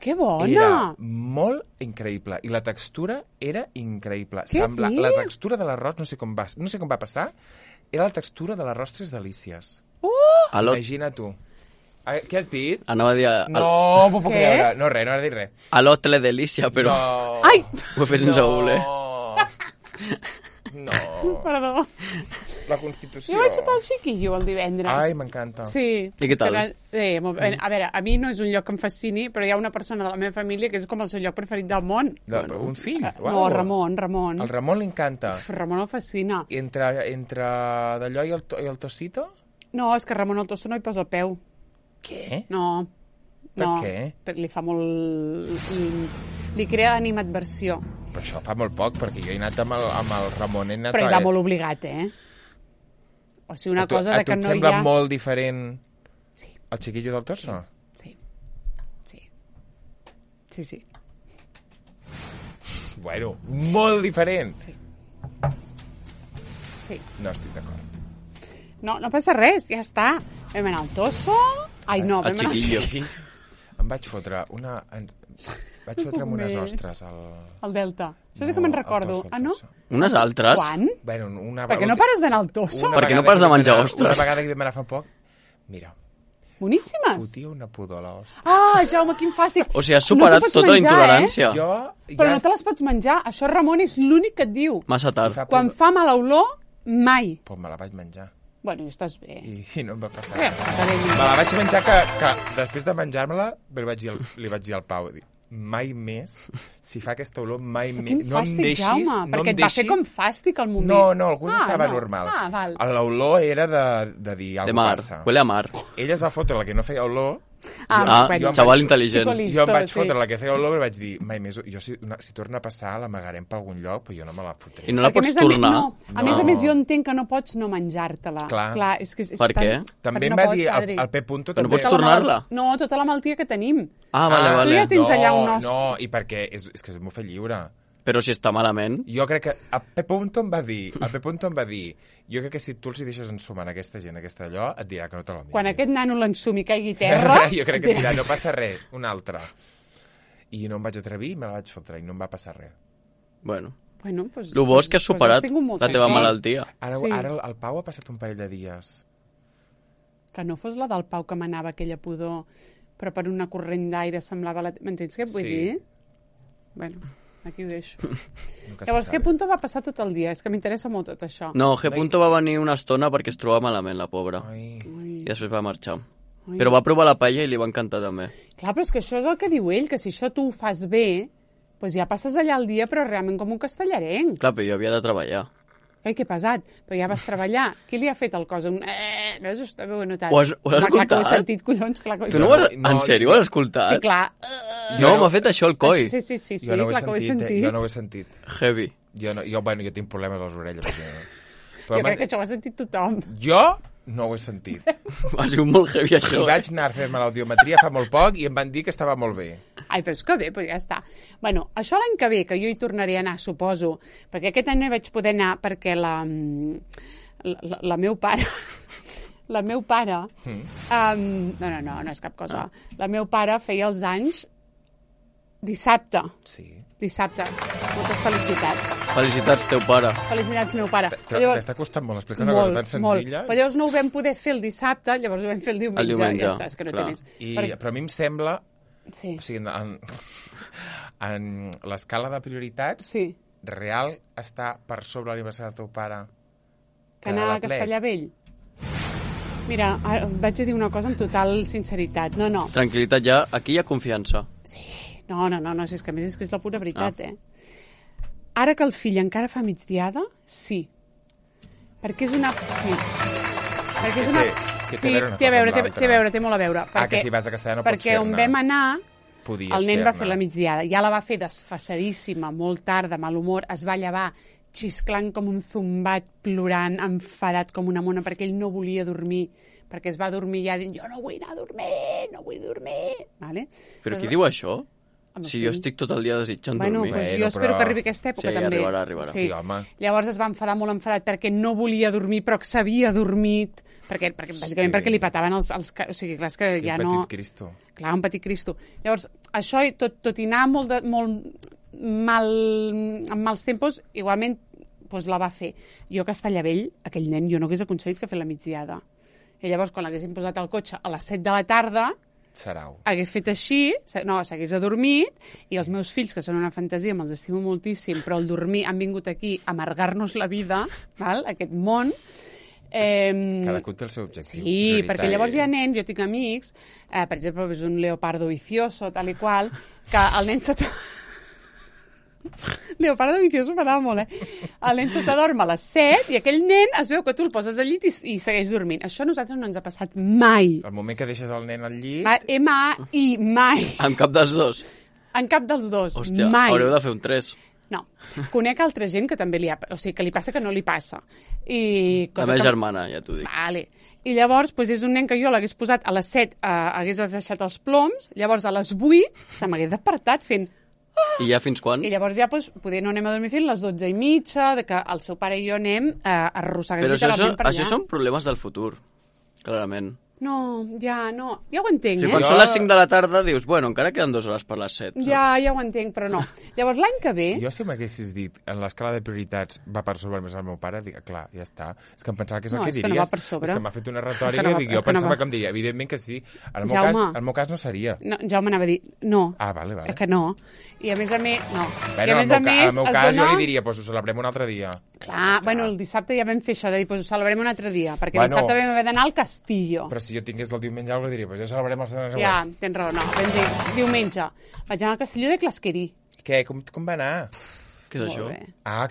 Que bona! Era molt increïble. I la textura era increïble. La textura de l'arròs, no sé com va passar, era la textura de l'arròs Tres Delícies. Imagina tu. Què has dit? Anava a dir... No m'ho puc creure. No, res, no has dit res. A l'Hotel Delícia, però... No. Ai! Ho he fet sense voler. No. Perdó. La Constitució. Jo vaig sopar al Xiquillo el divendres. Ai, m'encanta. Sí. I què tal? A veure, a mi no és un lloc que em fascini, però hi ha una persona de la meva família que és com el seu lloc preferit del món. Un fill? No, Ramon. El Ramon li encanta. Ramon el fascina. Entre d'allò i el Tocito? No, és que Ramon el Tosso no hi posa el peu. Què? No. Per què? Perquè li fa molt... Li crea animadversió. Però això fa molt poc, perquè jo he anat amb el Ramon. Però hi va molt obligat, O sigui, una cosa de que no hi ha... A tu et sembla molt diferent el Xiquillo del Tosso? Sí. Bueno, molt diferent. Sí. No estic d'acord. No passa res, ja està. Vam anar al Tosso... Ai, no, vam anar al Xiquillo. Em vaig fotre amb unes ostres al Delta. Això sí que me'n recordo. Ah, no? Unes altres? Quan? Bueno, per què no pares d'anar al Tosso? Per què no pares de menjar ostres? Una vegada que vam anar fa poc, mira... Boníssimes. Fotia una pudor a l'ostra. Ah, Jaume, quin fàstic. O sigui, has superat tota la intolerància. Però no te les pots menjar. Això Ramon és l'únic que et diu. Massa tard. Quan fa mala olor, mai. Doncs me la vaig menjar. Bueno, i estàs bé. I no em va passar. Ja està, me la vaig menjar que després de menjar-me-la li vaig dir al Pau, mai més, si fa aquesta olor, mai més. Quin fàstic, Jaume, perquè et va fer com fàstic al moment. No, el gust estava normal. Val. L'olor era de dir alguna cosa passa. Huele a mar. Ella es va fotre la que no feia olor. Xaval intel·ligent. Jo em vaig fotre la que feia olor i vaig dir, mai més, jo si torna a passar l'amagarem per algun lloc, però jo no me la fotré. I no la pots tornar? A més a més, jo entenc que no pots no menjar-te-la. Clar. Per què? També em va dir el P. Punto... No pots tornar-la? No, tota la malaltia que tenim. Ah, vale. Tu ja tens allà un os. No, i perquè és que m'ho fa lliure. Però si està malament... Jo crec que el P. Punto em va dir, jo crec que si tu els hi deixes ensumar a aquesta gent, aquesta allò, et dirà que no te la menges. Quan aquest nano l'ensumi i caigui terra... Jo crec que et dirà, no passa res, un altre. I no em vaig atrevir, me la vaig fotre i no em va passar res. Bueno, pues, el bo és que has superat la teva malaltia. Ara el Pau ha passat un parell de dies. Que no fos la del Pau que manava aquella pudor, però per una corrent d'aire semblava... M'entens què et vull dir? Bueno... Aquí ho deixo. Llavors, G. va passar tot el dia? És que m'interessa molt tot això. No, G. va venir una estona perquè es trobava malament, la pobra. I després va marxar. Però va provar la paella i li va encantar també. Clar, però és que això és el que diu ell, que si això tu ho fas bé, doncs ja passes allà el dia, però realment com un castellarenc. Clar, però jo havia de treballar. Ai, que pesat, però ja vas treballar. Qui li ha fet el cos? Veus, això també ho he notat. Ho has escoltat? Clar que ho he sentit, collons, clar que ho he sentit. Tu no ho has... En sèrio, ho has escoltat? Sí, clar. No, m'ha fet això el coi. Sí, clar que ho he sentit. Jo no ho he sentit. Heavy. Jo tinc problemes a les orelles. Jo crec que això ho ha sentit tothom. Jo no ho he sentit. Ha sigut molt heavy, això. I vaig anar a fer-me l'audiometria fa molt poc i em van dir que estava molt bé. Ai, però és que bé, però ja està. Bueno, això l'any que ve, que jo hi tornaré a anar, suposo, perquè aquest any no hi vaig poder anar perquè la meu pare... La meu pare... No és cap cosa. La meu pare feia els anys dissabte. Sí. Dissabte. Moltes felicitats. Felicitats, teu pare. Felicitats, meu pare. T'està costant molt explicar una cosa tan senzilla. Però llavors no ho vam poder fer el dissabte, llavors ho vam fer el diumenge. Ja està, és que no té més. Però a mi em sembla... Sí. O sigui, en l'escala de prioritats, Sí. real està per sobre l'aniversari del teu pare Que anar a Castellavell? Mira, ara vaig a dir una cosa amb total sinceritat. No. Tranquil·litat ja, aquí hi ha confiança. Sí. No, si és que a més és que és la pura veritat, Ara que el fill encara fa migdiada, sí. Perquè és una... Sí. Perquè és una... té a veure, té molt a veure. Que si vas a Castellà no pots fer-ne. Perquè on vam anar, el nen va fer la fer-ne. migdiada. Ja la va fer desfasadíssima, molt tard, de mal humor, es va llevar xisclant com un zumbat, plorant, enfadat com una mona, perquè ell no volia dormir, perquè es va dormir ja dient, jo no vull anar a dormir. Vale? Però qui diu això? Si jo estic tot el dia desitjant dormir. Pues jo espero que arribi aquesta època també. Arribarà. Sí, home. Llavors es va enfadar molt enfadat perquè no volia dormir, però que s'havia dormit, bàsicament perquè li petaven els... O sigui, clar, és que ja no... Un petit Cristo. Clar, un petit Cristo. Llavors, això, tot i anar molt mal, amb mals tempos, igualment doncs la va fer. Jo a Castellavell, aquell nen, jo no hagués aconseguit que fer la migdiada. I llavors, quan l'haguéssim posat al cotxe a les 7 de la tarda, Sarau. hagués fet així, s'hagués adormit, i els meus fills, que són una fantasia, me'ls estimo moltíssim, però al dormir han vingut aquí a amargar-nos la vida, val? Aquest món. Cadascú té el seu objectiu. Sí, perquè llavors hi ha nens, jo tinc amics, per exemple, és un leopardo vicioso, tal i qual, que el nen Leopardo vicioso m'agrada molt, El nen se t'adorm a les 7 i aquell nen es veu que tu el poses al llit i segueix dormint. Això a nosaltres no ens ha passat mai. El moment que deixes el nen al llit... M-A-I, mai. En cap dels dos? En cap dels dos, hòstia, mai. Haureu de fer un 3. No. Conec altra gent que també o sigui, que li passa que no li passa. La meva germana, ja t'ho dic. Vale. I llavors, doncs és un nen que jo l'hagués posat a les 7, hagués baixat els ploms, llavors a les 8 se m'hagués despertat fent... I ja fins quan? I llavors ja, doncs, poder no anem a dormir fins les 12:30, de que el seu pare i jo anem arrossegant literalment per allà. Això són problemes del futur, clarament. No, ja ho entenc, O sigui, quan són les 5 de la tarda dius, bueno, encara queden 2 hores per les 7. Ja ho entenc, però no. Llavors, l'any que ve... Jo si m'haguessis dit, en l'escala de prioritats va per sobre més el meu pare, dic, clar, ja està. És que em pensava que és el que diries. No, és que no va per sobre. És que m'ha fet una retòrica i jo pensava que em diria, evidentment que sí. En el meu cas no seria. No, Jaume anava a dir, no. Vale. És que no. I a més a més, no. Bueno, en el meu cas jo li diria, doncs ho celebrem un altre dia. Clar, bueno, el dissabte ja vam fer això, de dir, doncs ho celebrem un altre dia, perquè dissabte vam haver d'anar al Castillo. Però si jo tingués el diumenge algo diria, doncs ja celebrem el setmana següent. Ja, tens raó, no, vam dir diumenge. Vaig anar al Castillo de Clasquerí. Què? Com va anar? Què és això? Bé.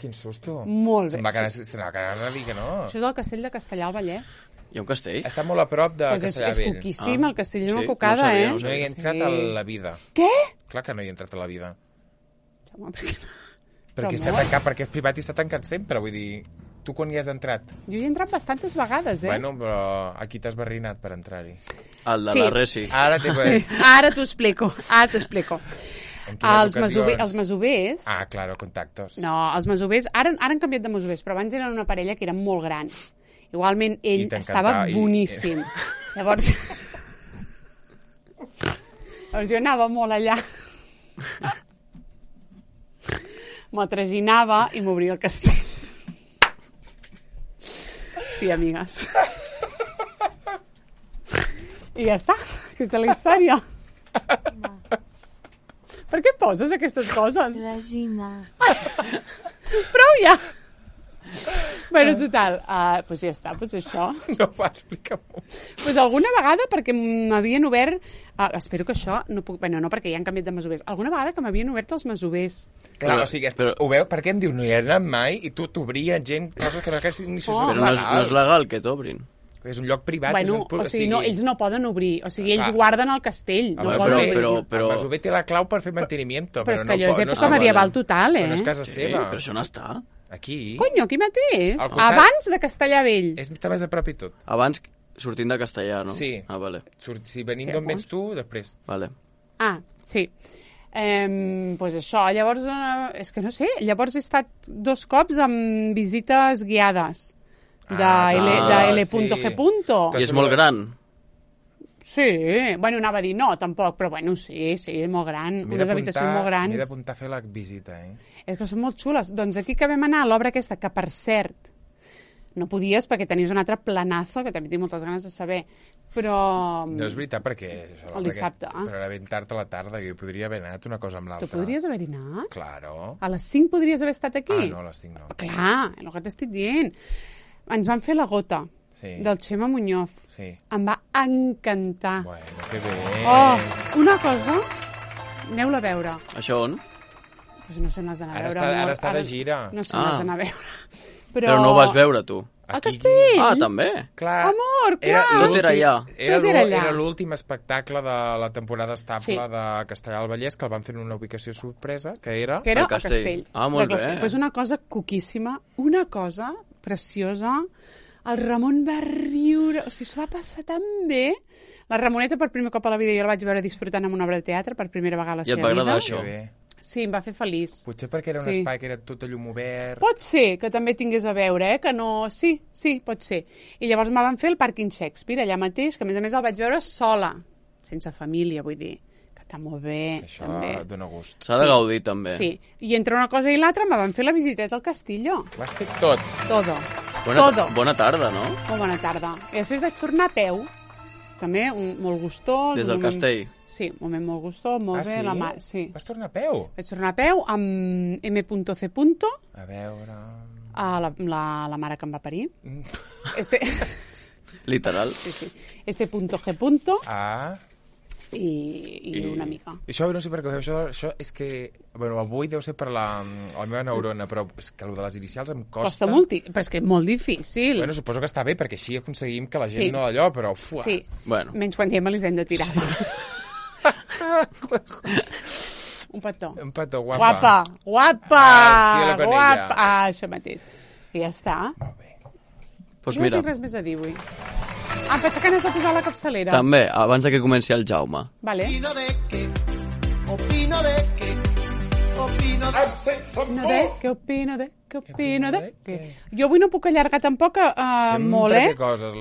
Quin susto. Molt bé. Se'n va quedar a dir que no. Això és el castell de Castellar al Vallès. Hi ha un castell? Està molt a prop de Castellar Vell. És cuquíssim, el castell d'una cocada, no No hi he entrat a la vida. Què? Clar que no hi he entrat a la vida. Jaume, per què no? Perquè està tancat, perquè és privat i està tancat sempre, vull dir... Tu quan hi has entrat? Jo hi he entrat bastantes vegades, Bueno, però aquí t'has barrinat per entrar-hi. El de la Resi. Ara t'ho explico. Els masovers... claro, contactos. No, els masovers... Ara han canviat de masovers, però abans eren una parella que eren molt grans. Igualment, ell estava boníssim. Llavors jo anava molt allà. M'ho traginava i m'obria el castell. Sí, amigues. I ja està. Aquesta és la història. Per què poses aquestes coses? Regina. Prou ja. Bueno, total, doncs ja està, doncs això. No va explicar molt. Doncs alguna vegada, perquè m'havien obert... espero que això no puc... Bueno, no, perquè ja han canviat de masovers. Alguna vegada que m'havien obert els masovers. Clar, o sigui, ho veu? Per què em diu no hi he anat mai i tu t'obria gent, coses que ni se Però no és legal que t'obrin. És un lloc privat. Bueno, o sigui, no, ells no poden obrir. O sigui, ells guarden el castell. No poden obrir. Però... El masover té la clau per fer manteniment. Però és que allò és època medieval total, Però no és casa seva. Però això no està. Aquí? Conyo, aquí mateix. Abans de Castellar Vell. Està més a prop i tot. Abans, sortint de Castellar, no? Sí. Vale. Si venint d'on vens tu, després. Vale. Sí. Doncs això, llavors, és que no sé, llavors he estat 2 cops amb visites guiades de L.G. I és molt gran. Sí, bueno, anava a dir no, tampoc, però bueno, sí, molt gran, unes habitacions molt grans. M'he d'apuntar a fer la visita, És que són molt xules. Doncs aquí que vam anar a l'obra aquesta, que per cert, No podies perquè tenies un altre planazo que també tinc moltes ganes de saber. Però... No és veritat perquè... El dissabte. Però era ben tard a la tarda, jo podria haver anat una cosa amb l'altra. Tu podries haver-hi anat? Claro. A les 5 podries haver estat aquí? No, a les 5 no. Clar, el que t'estic dient. Ens van fer la gota del Xema Muñoz. Sí. Em va encantar. Bueno, que bé. Una cosa... Aneu-la a veure. Això on? Pues no sé on l'has d'anar a veure. Ara està de gira. No sé on l'has d'anar a veure. Però no ho vas veure, tu. A Castell? També? Clar. Amor, clar. Tot era allà. Era l'últim espectacle de la temporada estable de Castellar del Vallès, que el van fer en una ubicació sorpresa, que era a Castell. Molt bé. Pues una cosa coquíssima, una cosa preciosa. El Ramon va riure, o sigui, s'ho va passar tan bé. La Ramoneta, per primer cop a la vida, jo la vaig veure disfrutant en una obra de teatre per primera vegada a la seva vida. I et va agradar això? Sí, em va fer feliç. Potser perquè era un espai que era tot a llum obert. Pot ser que també tingués a veure, que no... Sí, pot ser. I llavors me van fer el pàrquing Shakespeare, allà mateix, que a més el vaig veure sola, sense família, vull dir, que està molt bé. Això també dona gust. S'ha de gaudir, també. Sí, i entre una cosa i l'altra me van fer la visiteta al Castillo. Ho has fet tot. Todo. Bona tarda, no? Molt bona tarda. I després vaig tornar a peu, també, molt gustós. Des del Castell? Sí, un moment molt gustós, molt bé. Sí? Sí. Vas tornar a peu? Vaig tornar a peu amb M.C. A veure... La mare que em va parir. Literal. Sí. S.G. I una mica. Això no sé per què ho feu, això és que... Bueno, avui deu ser per la meva neurona, però és que el de les inicials em costa... Costa molt, però és que és molt difícil. Bueno, suposo que està bé, perquè així aconseguim que la gent no d'allò, però... Fuà. Sí, bueno. Menys quan diem Elisenda Tirada. Un petó. Un petó, guapa. Guapa! Estia la Conella. Guapa! Això mateix. I ja està. Molt bé. Pues jo mira. no tinc res més a dir avui. Em pensa que anaves a posar la capçalera. També, abans de que comenci el Jaume. Vale. Opino de què? Opino de què? Què opino de què? Jo avui no puc allargar tampoc molt,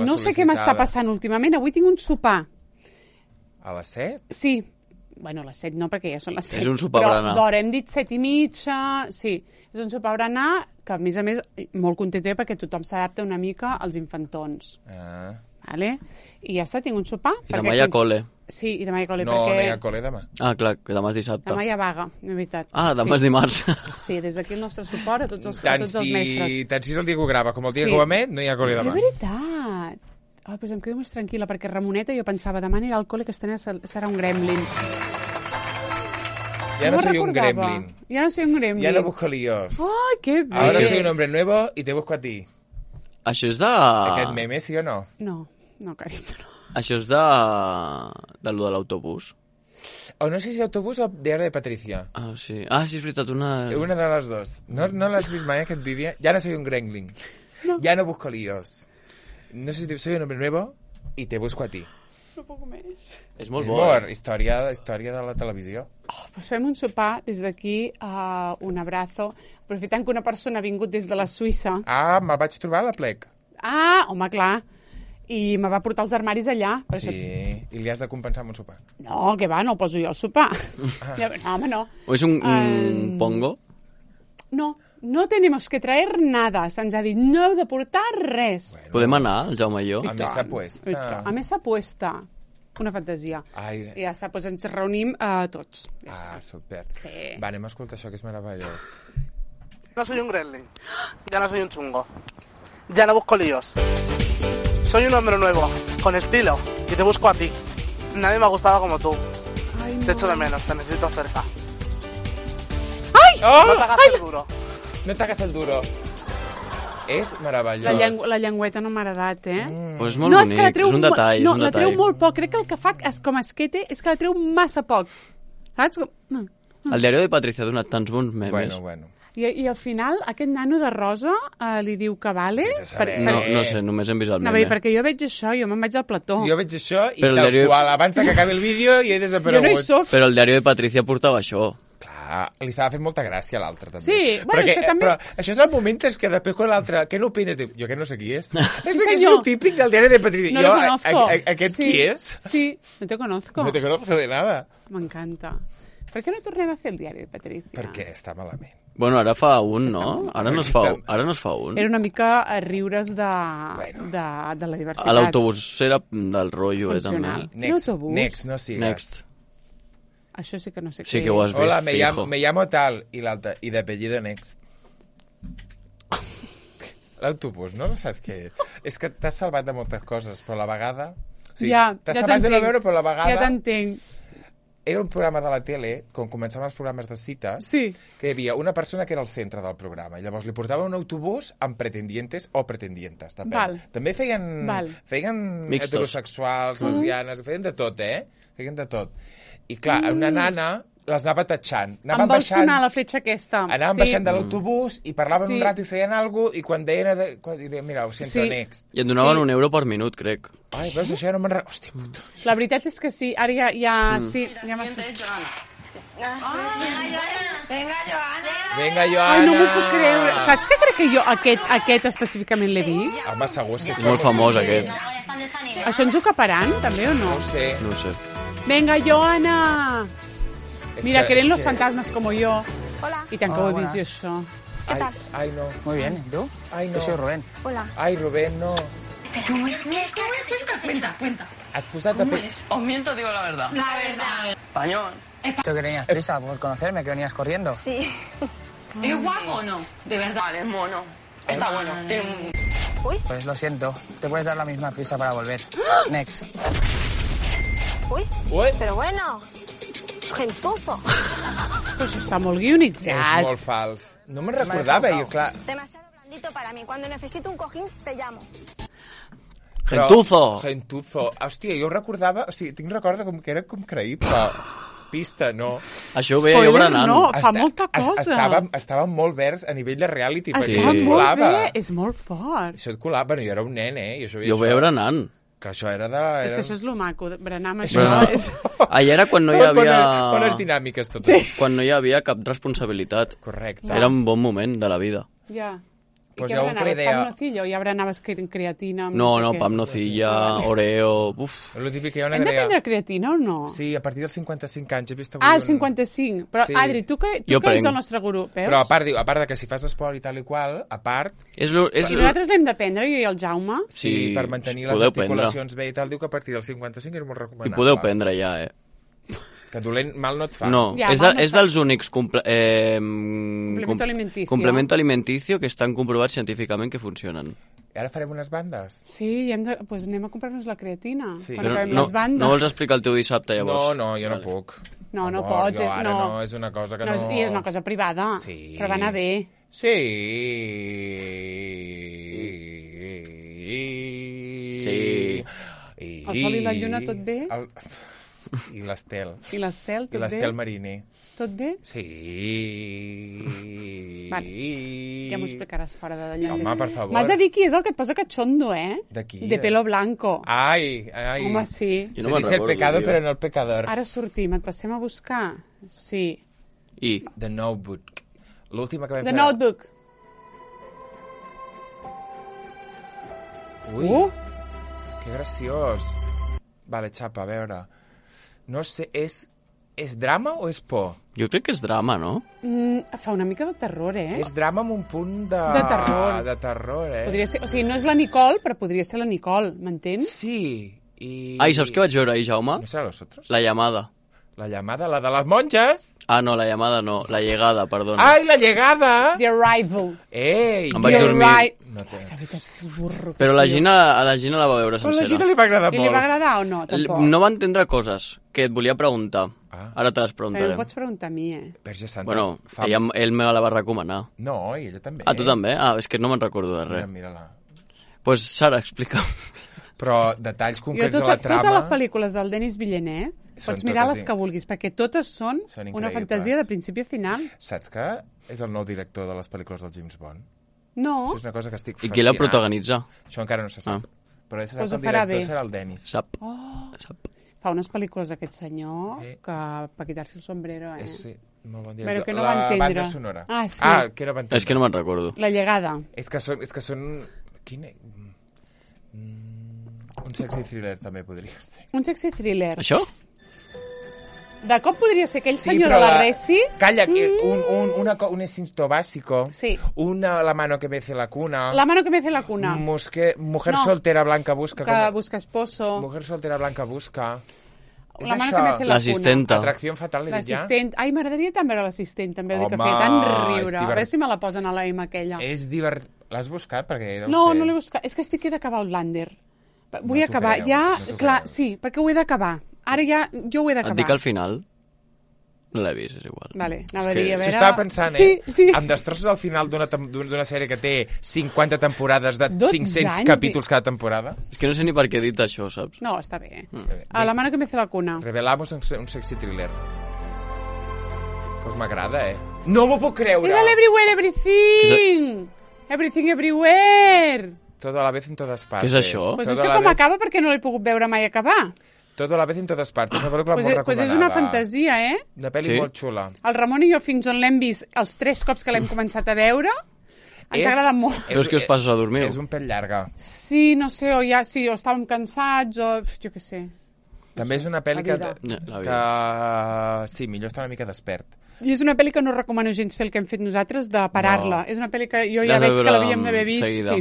no sé què m'està passant últimament. Avui tinc un sopar. A les 7? Sí. Bueno, a les 7 no, perquè ja són les 7. És un sopar berenar. Però d'hora hem dit 7:30, sí. És un sopar berenar que, a més, molt contenta perquè tothom s'adapta una mica als infantons. Vale? I ja està, tinc un sopar. I demà hi ha cole. Sí, i demà hi ha cole. No, no hi ha cole demà. Ah, clar, que demà és dissabte. Demà hi ha vaga, de veritat. Ah, demà és dimarts. Sí, des d'aquí el nostre suport a tots els mestres. Tant si és el dia que ho grava com el dia que ho emet, no hi ha cole demà. De veritat. Doncs em quedo més tranquil·la, perquè Ramoneta, jo pensava, demà anirà al col·le, que serà un gremlin. Ya no soy un gremlin. Ya no soy un gremlin. Ya no busco líos. ¡Ay, qué bien! Ahora soy un hombre nuevo y te busco a ti. Això és de... Aquest meme, sí o no? No, caritzo, no. Això és de lo de l'autobús. O no sé si autobús o Diario de Patricia. Ah, sí. Ah, sí, és veritat, una... Una de les dos. No l'has vist mai, aquest vídeo? Ya no soy un gremlin. No. Ya no busco líos. No sé si soy un hombre nuevo y te busco a ti. No puc més. És molt bo. Història de la televisió. Doncs fem un sopar des d'aquí, un abrazo, aprofitant que una persona ha vingut des de la Suïssa. Ah, me'l vaig trobar a la plec. Ah, home, clar. I me va portar els armaris allà. Sí, i li has de compensar amb un sopar. No, que va, no el poso jo al sopar. No, home, no. O és un pongo? No tenemos que traer nada. Se'ns ha dit, no heu de portar res. Bueno. Podem anar, el Jaume i jo? A mesa puesta. A mesa puesta. Una fantasia. Ai. I ja està, doncs ens reunim tots. Ja està. Super. Sí. Va, anem a escoltar això, que és meravellós. No soy un gremlin. Ya no soy un chungo. Ya no busco líos. Soy un hombre nuevo, con estilo, y te busco a ti. Nadie me ha gustado como tú. Ay, no. Te echo de menos, te necesito cerca. ¡Ay! ¡Oh! No te hagas el duro. No t'hagas el duro. És meravellós. La llengüeta no m'ha agradat, Pues és molt bonic, és un detall. No, la treu molt poc. Crec que el que fa com a esquete és que la treu massa poc. Saps? El Diario de Patricia ha donat tants bons memes. Bueno. I al final, aquest nano de rosa li diu que vale... No sé, només hem vist el meme. Perquè jo veig això, jo me'n vaig al plató. Jo veig això i tal qual, abans que acabi el vídeo i he desaparegut. Jo no hi soc. Però el Diario de Patricia portava això. Li estava fent molta gràcia a l'altre, també. Sí, bueno, és que també... Però això és el moment que després quan l'altre... Què n'opines? Jo que no sé qui és. És el típic del Diario de Patricia. No lo conozco. Aquest qui és? Sí, no te conozco. No te conozco de nada. M'encanta. Per què no tornem a fer el Diari de Patricia? Perquè està malament. Bueno, ara fa un, no? Ara no es fa un. Era una mica a riures de la diversitat. A l'autobús era del rotllo, també. Next, no sigues. Next. Això sí que no sé què és. Sí que ho has vist, Hola, me llamo tal, i l'altre, i d'apellido Next. L'autobús, no saps què és? És que t'has salvat de moltes coses, però a la vegada... T'has salvat de no veure, però a la vegada... Ja t'entenc. Era un programa de la tele, com començaven els programes de cites, que hi havia una persona que era al centre del programa, i llavors li portava un autobús amb pretendientes o pretendientes, depèn. També feien heterosexuals, lesbianes, feien de tot, Feien de tot. I clar, una nana les anava tatxant. Em vol sonar la fletxa aquesta. Anaven baixant de l'autobús i parlaven un rato i feien alguna cosa, i quan deien, mira, ho sento, Next. I en donaven €1 per minut, crec. Ai, veus, això ja no me'n recordo. Hòstia puta. La veritat és que sí, ara ja sí. Ja m'ha sortit. Venga, Joana. Ai, no m'ho puc creure. Saps que crec que jo aquest específicament l'he vist? Home, segur que és molt famós, aquest. Això ens ho caparan, també, o no? No ho sé. Venga, Joana. Mira, que eren los fantasmas como yo. Hola. Y tampoco he visto eso. ¿Qué tal? Ay, no. Muy bien, ¿y tú? Ay, no. Yo soy Rubén. Hola. Ay, Rubén, no. ¿Cómo es? Cuenta. Has posat... ¿Cómo es? Os miento, digo la verdad. La verdad. Español. ¿Tú que tenías prisa por conocerme, que venías corriendo? Sí. ¿Es guapo o no? De verdad. Vale, es mono. Está bueno. Tiene un... Uy. Pues lo siento, te puedes dar la misma prisa para volver. Next. Uy. Pero bueno. Gentuzo. Pues està molt guionitzat. És molt fals. No me'n recordava, jo, clar. Demasiado blandito para mí. Cuando necesito un cojín, te llamo. Gentuzo. Hòstia, jo recordava... O sigui, tinc record com que era com creïble. Pista, no. Això ho veia jo berenant. No, fa molta cosa. Estàvem molt verds a nivell de reality. Estava molt bé, és molt fort. Això et colava. Bueno, jo era un nen, Jo ho veia berenant. Que això era de... És que això és lo maco, berenar amb això. Allà era quan no hi havia... Bones dinàmiques, tot. Quan no hi havia cap responsabilitat. Correcte. Era un bon moment de la vida. Ja. I Pues què berenaves? Pam nocillo? Ja berenaves creatina? No, pam nocilla, Oreo... Uf. Lo típic que hi ha una Hem de prendre creatina o no? Sí, a partir dels 55 anys. He vist avui el 55. Però, Adri, tu que ets el nostre gurú, veus? Però a part de que si fas esport i tal i qual, a part... I nosaltres l'hem de prendre, jo i el Jaume? Sí, per mantenir les articulacions bé i tal, diu que a partir dels 55 és molt recomanable. I podeu prendre ja, Que dolent mal no et fa. No, és dels únics complemento alimenticio que estan comprovats científicament que funcionen. I ara farem unes bandes? Sí, pues anem a comprar-nos la creatina. Sí. Quan acabem les bandes. No vols explicar el teu dissabte, llavors? No, jo no puc. No pots. No, és una cosa que no... I és una cosa privada, però va anar bé. Sí. El sol i la lluna, tot bé? I l'Estel. I l'Estel, tot bé? I l'Estel Mariner. Tot bé? Sí. Vale. Ja m'ho explicaràs fora de d'allà. Home, per favor. M'has de dir qui és el que et posa cachondo, De qui? De pelo blanco. Ai. Home, sí. Se dice el pecado, però no el pecador. Ara sortim, et passem a buscar? Sí. I? The Notebook. L'última que vam fer... The Notebook. Ui, que graciós. Vale, xapa, a veure... No sé, és drama o és por? Jo crec que és drama, no? Fa una mica de terror, És drama amb un punt de... De terror. De terror, Podria ser, o sigui, no és la Nicole, però podria ser la Nicole, m'entens? Sí, Ai, saps què vaig veure ahir, Jaume? ¿No serà los otros? La llamada. La llamada, la de les monges? Ah, no, la llamada no, la llegada, perdona. Ai, la llegada! The Arrival. Ei! Em vaig dormir. No té. Però a la Gina la va veure Però a sencera. la Gina li va agradar I molt. li va agradar o no? Tampoc. No va entendre coses que et volia preguntar. Ara te les També preguntarem. em pots preguntar a mi, Verge Santa. Bueno, ell me la va recomanar. No, i ella també. Ah, tu també? Ah, és que no me'n recordo de res. Mira-la. Pues Sara, explica'm. Però detalls concrets de la trama... Totes les pel·lícules del Denis Villeneuve pots mirar les que vulguis, perquè totes són una fantasia de principi a final. Saps que és el nou director de les pel·lícules del James Bond? No. Això és una cosa que estic fascinat. I qui la protagonitza? Això encara no se sap. Però el director serà el Denis. Sap. Fa unes pel·lícules d'aquest senyor que per quitar-se el sombrero, Sí, molt bon director. Però que no va entendre. La banda sonora. Sí. Que no va entendre. És que no me'n recordo. La llegada. És que són... Quin... Un sexy thriller també podria ser. Un sexy thriller. Això? De cop podria ser aquell senyor de la Resi. Calla, un instinto básico. Sí. La mano que mece la cuna. La mano que mece la cuna. Mujer soltera blanca busca. Que busca esposo. Mujer soltera blanca busca. La mano que mece la cuna. L'assistenta. Atracció fatal, l'he dit ja. Ai, m'agradaria tant veure l'assistent, també. Home, que feia tant riure. A veure si me la posen a la M aquella. És divertit. L'has buscat? Perquè no l'he buscat. És que estic d'acabar Outlander. Vull acabar. Clar, sí, perquè ho he d'acabar. Ara ja, jo ho he d'acabar. Et dic al final. No l'he vist, és igual. Vale, anava a dir, a veure... Si estava pensant, sí. Em destrosses al final d'una sèrie que té 50 temporades de 500 capítols cada temporada? És que no sé ni per què he dit això, saps? No, està bé. A la mano que mece la cuna. Revelamos un sexy thriller. Pues m'agrada, No m'ho puc creure! És l'Everywhere Everything! Everything Everywhere! Todo a la vez en todas partes. Què és això? Pues no sé com acaba perquè no l'he pogut veure mai acabar. Todo a la vez en todas partes. Una pel·lícula molt recomanada. Pues és una fantasia, Una pel·li molt xula. El Ramon i jo, fins on l'hem vist, els 3 cops que l'hem començat a veure, ens ha agradat molt. Però és que us passes a dormir. És un pèl llarga. Sí, no sé, o estàvem cansats, o jo què sé. També és una pel·li que... Sí, millor estar una mica despert. I és una pel·li que no recomano gens fer el que hem fet nosaltres, de parar-la. És una pel·li que jo ja veig que l'havíem d'haver vist. Sí.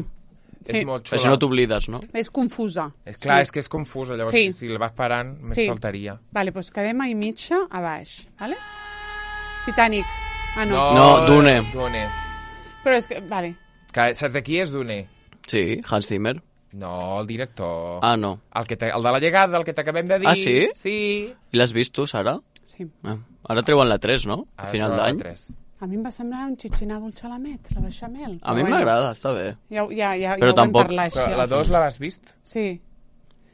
És molt xula. Això no t'oblides, no? És confusa. Clar, és que és confusa, llavors si la vas parant, més faltaria. Vale, doncs quedem a mitja a baix, vale? Titanic. Ah, no. No, Dune. Però és que, vale. Saps de qui és Dune? Sí, Hans Zimmer. No, el director. Ah, no. El de la llegada, el que t'acabem de dir. Ah, sí? Sí. I l'has vist tu, Sara? Sí. Ara treuen la 3, no? A final d'any. A mi em va semblar un xitxinado al xalamet, la beixamel. A mi m'agrada, està bé. Ja però tampoc... La 2 l'has vist? Sí.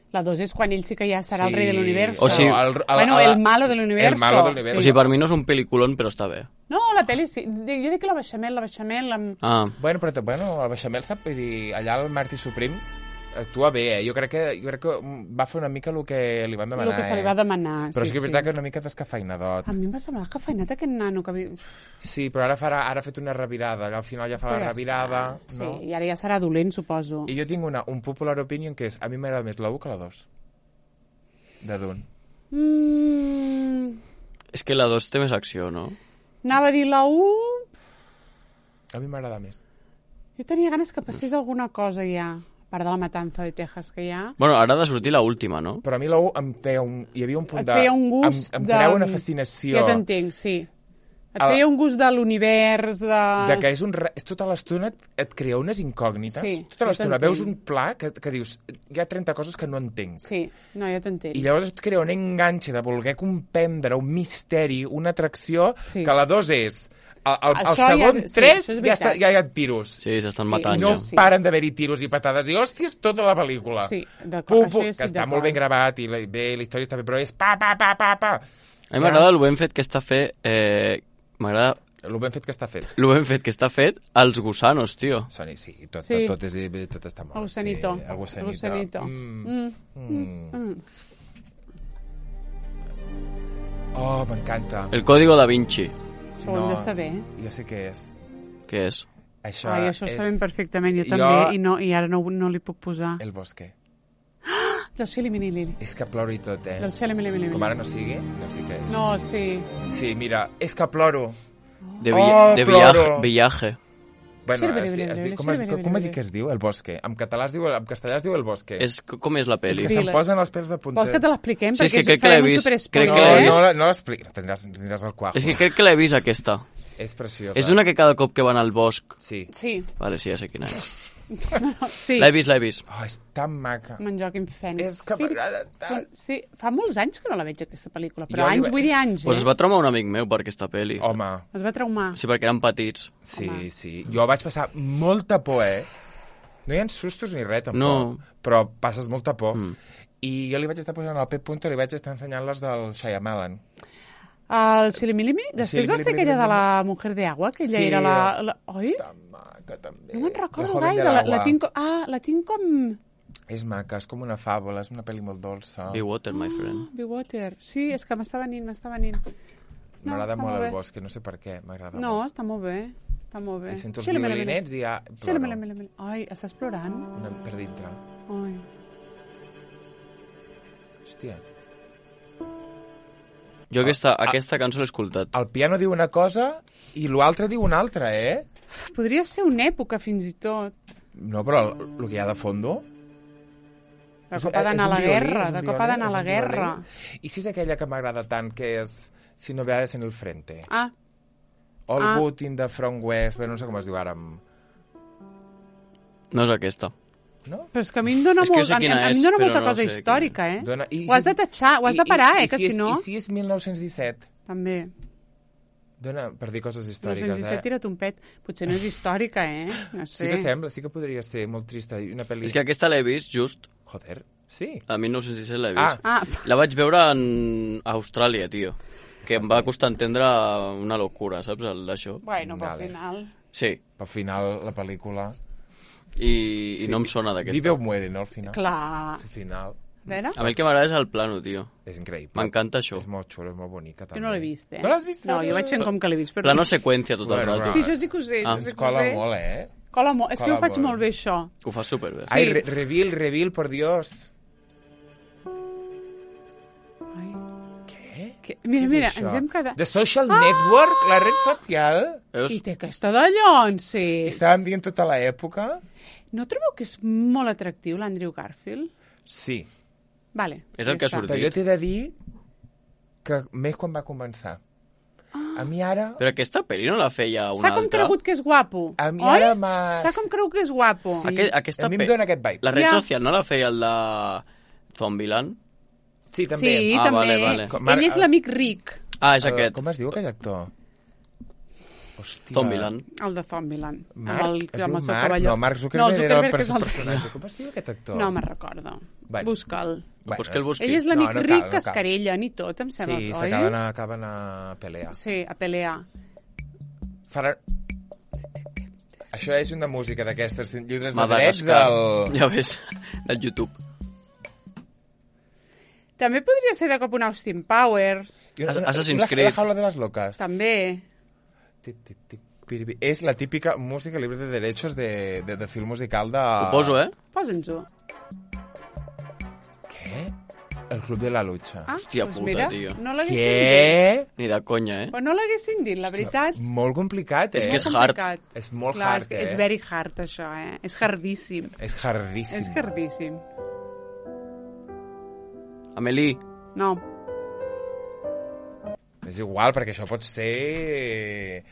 La 2 és quan ell sí que ja serà el rei de l'univers. O sigui, el malo de l'univers. El malo de l'univers. O sigui, per mi no és un pel·lículon, però està bé. No, la pel·li sí. Jo dic la beixamel... Bueno, però el beixamel sap, vull dir, allà el Martí Supreme actua bé, Jo crec que va fer una mica el que li van demanar. El que se li va demanar, però és que és veritat que una mica descafeinadot. A mi em va semblar descafeinat aquest nano que... Sí, però ara ha fet una revirada, al final ja fa la revirada. Sí, i ara ja serà dolent, suposo. I jo tinc un popular opinion que és, a mi m'agrada més la 1 que la 2. De Dune. És que la 2 té més acció, no? Anava a dir la 1... A mi m'agrada més. Jo tenia ganes que passés alguna cosa ja. Part de la matança de Texas que hi ha. Bueno, ara ha de sortir l'última, no? Però a mi la 1 em feia hi havia un punt de... Et feia un gust em creava una fascinació. Ja t'entenc, sí. Et feia un gust de l'univers, de que és tota l'estona et crea unes incògnites. Sí, tota l'estona veus un pla que dius, hi ha 30 coses que no entenc. Sí, no, ja t'entenc. I llavors et crea un enganxe de voler comprendre un misteri, una atracció, que la 2 és... El segon 3 ja hi ha tiros. Sí, s'estan matant. I no paren d'haver-hi tiros i patades. I hòsties, tota la pel·lícula. Sí, d'acord. Que està molt ben gravat i la història està bé, però és pa. A mi m'agrada el ben fet que està fet... M'agrada... El ben fet que està fet. El ben fet que està fet als gusanos, tio. Sí, tot està molt. El gusanito. Oh, m'encanta. El código da Vinci. Això ho hem de saber. Jo sé què és. Què és? Això ho sabem perfectament, jo també, i ara no li puc posar. El bosque. Del Xili Milili. És que ploro i tot, Del Xili Milili. Com ara no sigui, no sé què és. No, sí. Sí, mira, és que ploro. De viaje. Bueno, com es diu que es diu? El bosque. En castellà es diu El bosque. Com és la pel·li? És que se'm posen els pèls de punta. Vols que te l'expliquem? Sí, perquè farem un superespoiler. No l'explico. Tindràs el cuajo. És que crec que l'he vist, aquesta. És preciosa. És una que cada cop que van al bosc... Sí. Vale, sí, ja sé quina és. Sí. L'he vist. Oh, és tan maca. Me'n Joaquim Phoenix. És que m'agrada tant. Sí, fa molts anys que no la veig, aquesta pel·lícula, però anys, vull dir anys, Pues es va traumar un amic meu per aquesta pel·li. Home. Es va traumar? Sí, perquè eren petits. Sí. Jo vaig passar molta por, No hi ha sustos ni res, tampoc. Però passes molta por. I jo li vaig estar posant al Pep Punto, li vaig estar ensenyant les del Shyamalan. El Xilimilimi? Després va fer aquella de la Mujer de Agua, que ella era la... Oi? Tan maca, també. No me'n recordo gaire. La tinc com... És maca, és com una fàbula, és una pel·li molt dolça. Be Water, my friend. Be Water. Sí, és que m'està venint. M'agrada molt el bosc, no sé per què, m'agrada molt. No, està molt bé. I sento els violinets i ja ploro. Ai, estàs plorant? Per dintre. Ai. Hòstia. Jo aquesta cançó l'he escoltat. El piano diu una cosa i l'altre diu una altra, Podria ser una època, fins i tot. No, però el que hi ha de fondo... De cop ha d'anar a la guerra, de cop ha d'anar a la guerra. I si és aquella que m'agrada tant, que és Si no veas en el frente. All good in the front west, però no sé com es diu ara. No és aquesta. No? Però és que a mi em dona, molta cosa històrica, Ho has de tatxar, ho has de parar, que si no... I si és 1917? També. Dona per dir coses històriques, 1917 tira't un pet. Potser no és històrica, No sé. Sí que sembla, sí que podria ser molt trista. Una pel·li... És que aquesta l'he vist just... Joder, sí. A 1917 l'he vist. La vaig veure a Austràlia, tio. Que em va costar entendre una locura, saps, d'això? Bueno, però al final... Sí. Al final, la pel·lícula... I no em sona d'aquesta. Vive o muere, no, al final? Clar. Al final... A mi el que m'agrada és el plano, tio. És increïble. M'encanta això. És molt xulo, és molt bonica, també. Jo no l'he vist, No l'has vist? No, jo vaig fent com que l'he vist. Plano seqüència tot el rato. Sí, això sí que ho sé. Ens cola molt, Cola molt. És que ho faig molt bé, això. Ho fas superbé. Ai, reveal, por Dios. Mira, ens hem quedat... The Social Network, la red social. I té aquesta de llonses. Estàvem dient tota l'època. No trobeu que és molt atractiu l'Andrew Garfield? Sí. Vale. És el que ha sortit. Però jo t'he de dir que més quan va començar. A mi ara... Però aquesta pel·li no la feia una altra? S'ha com cregut que és guapo. A mi ara m'ha... S'ha com cregut que és guapo. Sí, a mi em dóna aquest vibe. La red social no la feia el de Zombieland? Sí, també. Sí, també. Vale. Ell és l'amic ric. És aquest. Com es diu aquell actor? Hòstia. Zombieland. El de Zombieland. Mark? Es diu Mark? No, Mark Zuckerberg era el personatge. Com es diu aquest actor? No me'n recordo. Busca'l. Pues que el busqui. Ell és l'amic ric que es querellen i tot, em sembla, oi? Sí, acaben a pelear. Sí, a pelear. Això és una música d'aquestes llibres de drets del... Ja ves, del YouTube. També podria ser de cop un Austin Powers. Assassin's Creed. La jaula de les locas. També. És la típica música libre de derechos de film musical de... Ho poso, Posa'ns-ho. Què? El Club de la Lucha. Hòstia pues puta, mira, tio. No l'haguessin dit. Ni de conya, Però no l'haguessin dit, la veritat. Molt complicat, És que és hard. És molt Clar, hard, És very hard, això, És hardíssim. És hardíssim. És hardíssim. Amélie. No. És igual, perquè això pot ser...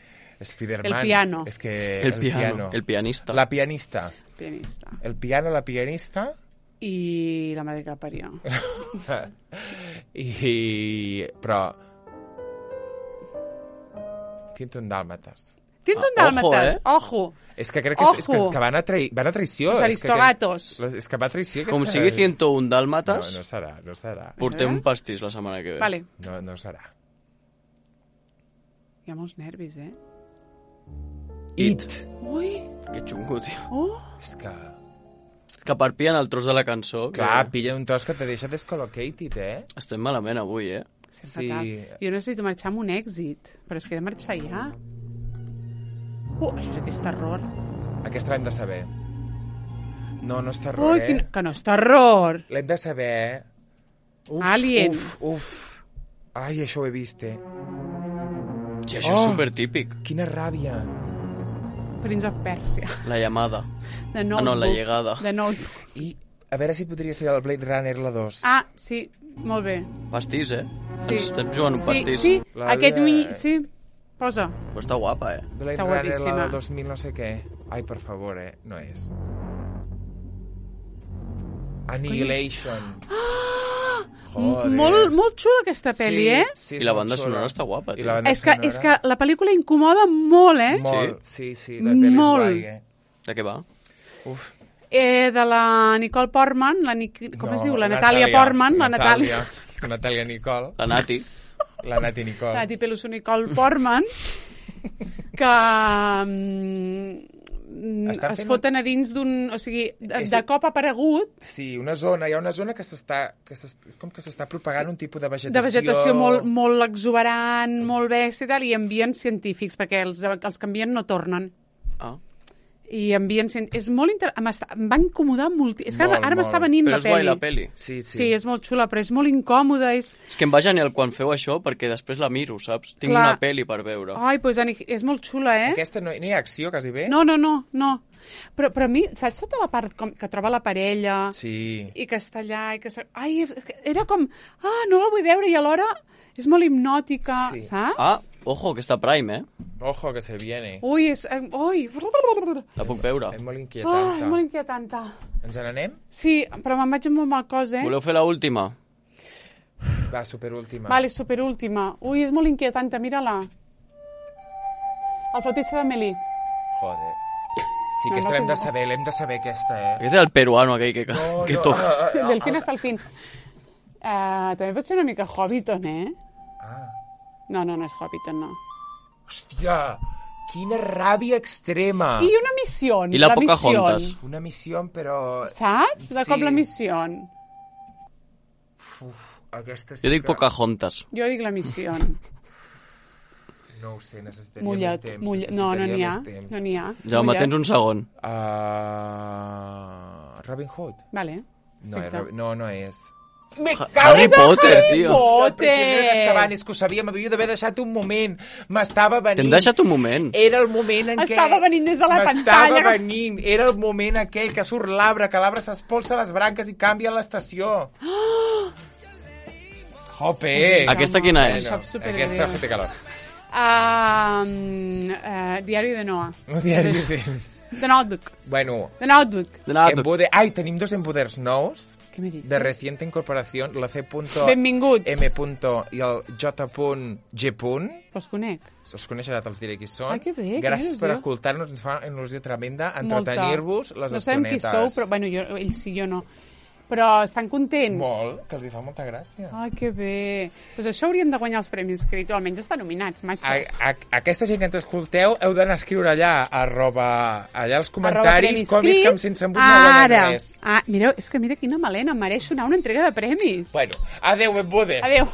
Spider-Man. El piano. És que... El piano. El pianista. La pianista. Pianista. El piano, la pianista... I la madre que la parió. Però... 101 dàlmates. 101 dàlmates, ojo. És que crec que van a traïció. Los aristogatos. És que va a traïció. Com sigui 101 dàlmates... No serà. Portem un pastís la setmana que ve. Vale. No serà. Hi ha molts nervis, It. Ui. Que xungo, tio. És que... Que per pillen el tros de la cançó... Clar, pilla un tros que te deixa descolocated, Estem malament avui, Sí, fatal. Jo necessito marxar amb un èxit, però és que he de marxar ja. Això és terror. Aquesta l'hem de saber. No és terror, que no és terror. L'hem de saber, Alien. Uf. Ai, això ho he vist, Sí, això és supertípic. Quina ràbia. Prince of Persia. La llamada. The Notebook. No, la llegada. The Notebook. I a veure si podria ser el Blade Runner la 2. Sí, molt bé. Pastís, Sí. Ens estem jugant un pastís. Sí, aquest sí. Posa. Pues està guapa, Blade Runner la 2000 no sé què. Ai, per favor, no és. Annihilation. Molt xula aquesta pel·li, Sí, I la banda sonora està guapa, tio. És que la pel·lícula incomoda molt, Molt, sí, la pel·li és guai, De què va? Uf. De la Nicole Portman, com es diu? La Natàlia Portman, la Natàlia Nicole. La Nati. La Nati Nicole. La Nati Peluso Nicole Portman, que es foten a dins d'un... O sigui, de cop ha aparegut... Sí, hi ha una zona que s'està propagant un tipus de vegetació... De vegetació molt exuberant, molt bèstia i tal, i envien científics, perquè els que envien no tornen. i és molt em va incomodar molt. És que ara m'està venint la pel·li. Però és guai la pel·li. Sí, és molt xula, però és molt incòmoda. És que em va genial quan feu això, perquè després la miro, saps? Tinc una pel·li per veure. Ai, doncs és molt xula, eh? Aquesta no hi ha acció, quasi bé? No. Però a mi, saps tota la part que troba la parella? Sí. I que està allà, i que... Ai, era com... no la vull veure, i alhora és molt hipnòtica, saps? Ojo, que està Prime, eh? Ojo, que se viene. Ui, és... Ui! La puc veure. És molt inquietant. És molt inquietant. Ens n'anem? Sí, però me'n vaig amb molt mal cos, eh? Voleu fer l'última? Va, superúltima. Vale, superúltima. Ui, és molt inquietant, mira-la. El flautista d'Amélie. Joder. Sí, aquesta l'hem de saber, aquesta, eh? Aquest és el peruano aquell que toca. Del fin hasta el fin. També pot ser una mica Hobbiton, eh? No és Hobbiton, no. Hòstia, quina ràbia extrema. I una missió. I la Pocahontas. Una missió, però... Saps? De cop la missió. Aquesta sí jo dic Pocahontas. Jo dic la missió. No ho sé, necessitaria més temps. No n'hi ha. Jaume, tens un segon. Robin Hood. Vale. No és. Harry Potter, tio. És que ho sabia, m'havia d'haver deixat un moment. M'estava venint. T'hem deixat un moment. Era el moment en què... Estava venint des de la pantalla. M'estava venint. Era el moment aquell que surt l'arbre, que l'arbre s'espolsa les branques i canvia l'estació. Jope! Aquesta quina és? Aquesta fa calor. Diari de Noah. Diari de... The Notebook. Bueno. The Notebook. Ai, tenim 2 empoders nous. Què m'he dit? De reciente incorporació, la C. Benvinguts. M. i el J. G. Els conec. Els coneixerà, te'ls diré qui són. Ai, que bé. Gràcies per escoltar-nos, ens fa una il·lusió tremenda entretenir-vos les estonetes. No sabem qui sou, però bueno, ells sí, jo no. Però estan contents? Molt, que els hi fa molta gràcia. Ai, que bé. Doncs això hauríem de guanyar els premis, que almenys estan nominats, macho. Aquesta gent que ens escolteu heu d'anar a escriure allà, allà als comentaris, com és que em sense embut no guanyem res. Mireu, és que mira quina melena, em mereixo anar a una entrega de premis. Bueno, adeu, benvolgudes. Adeu.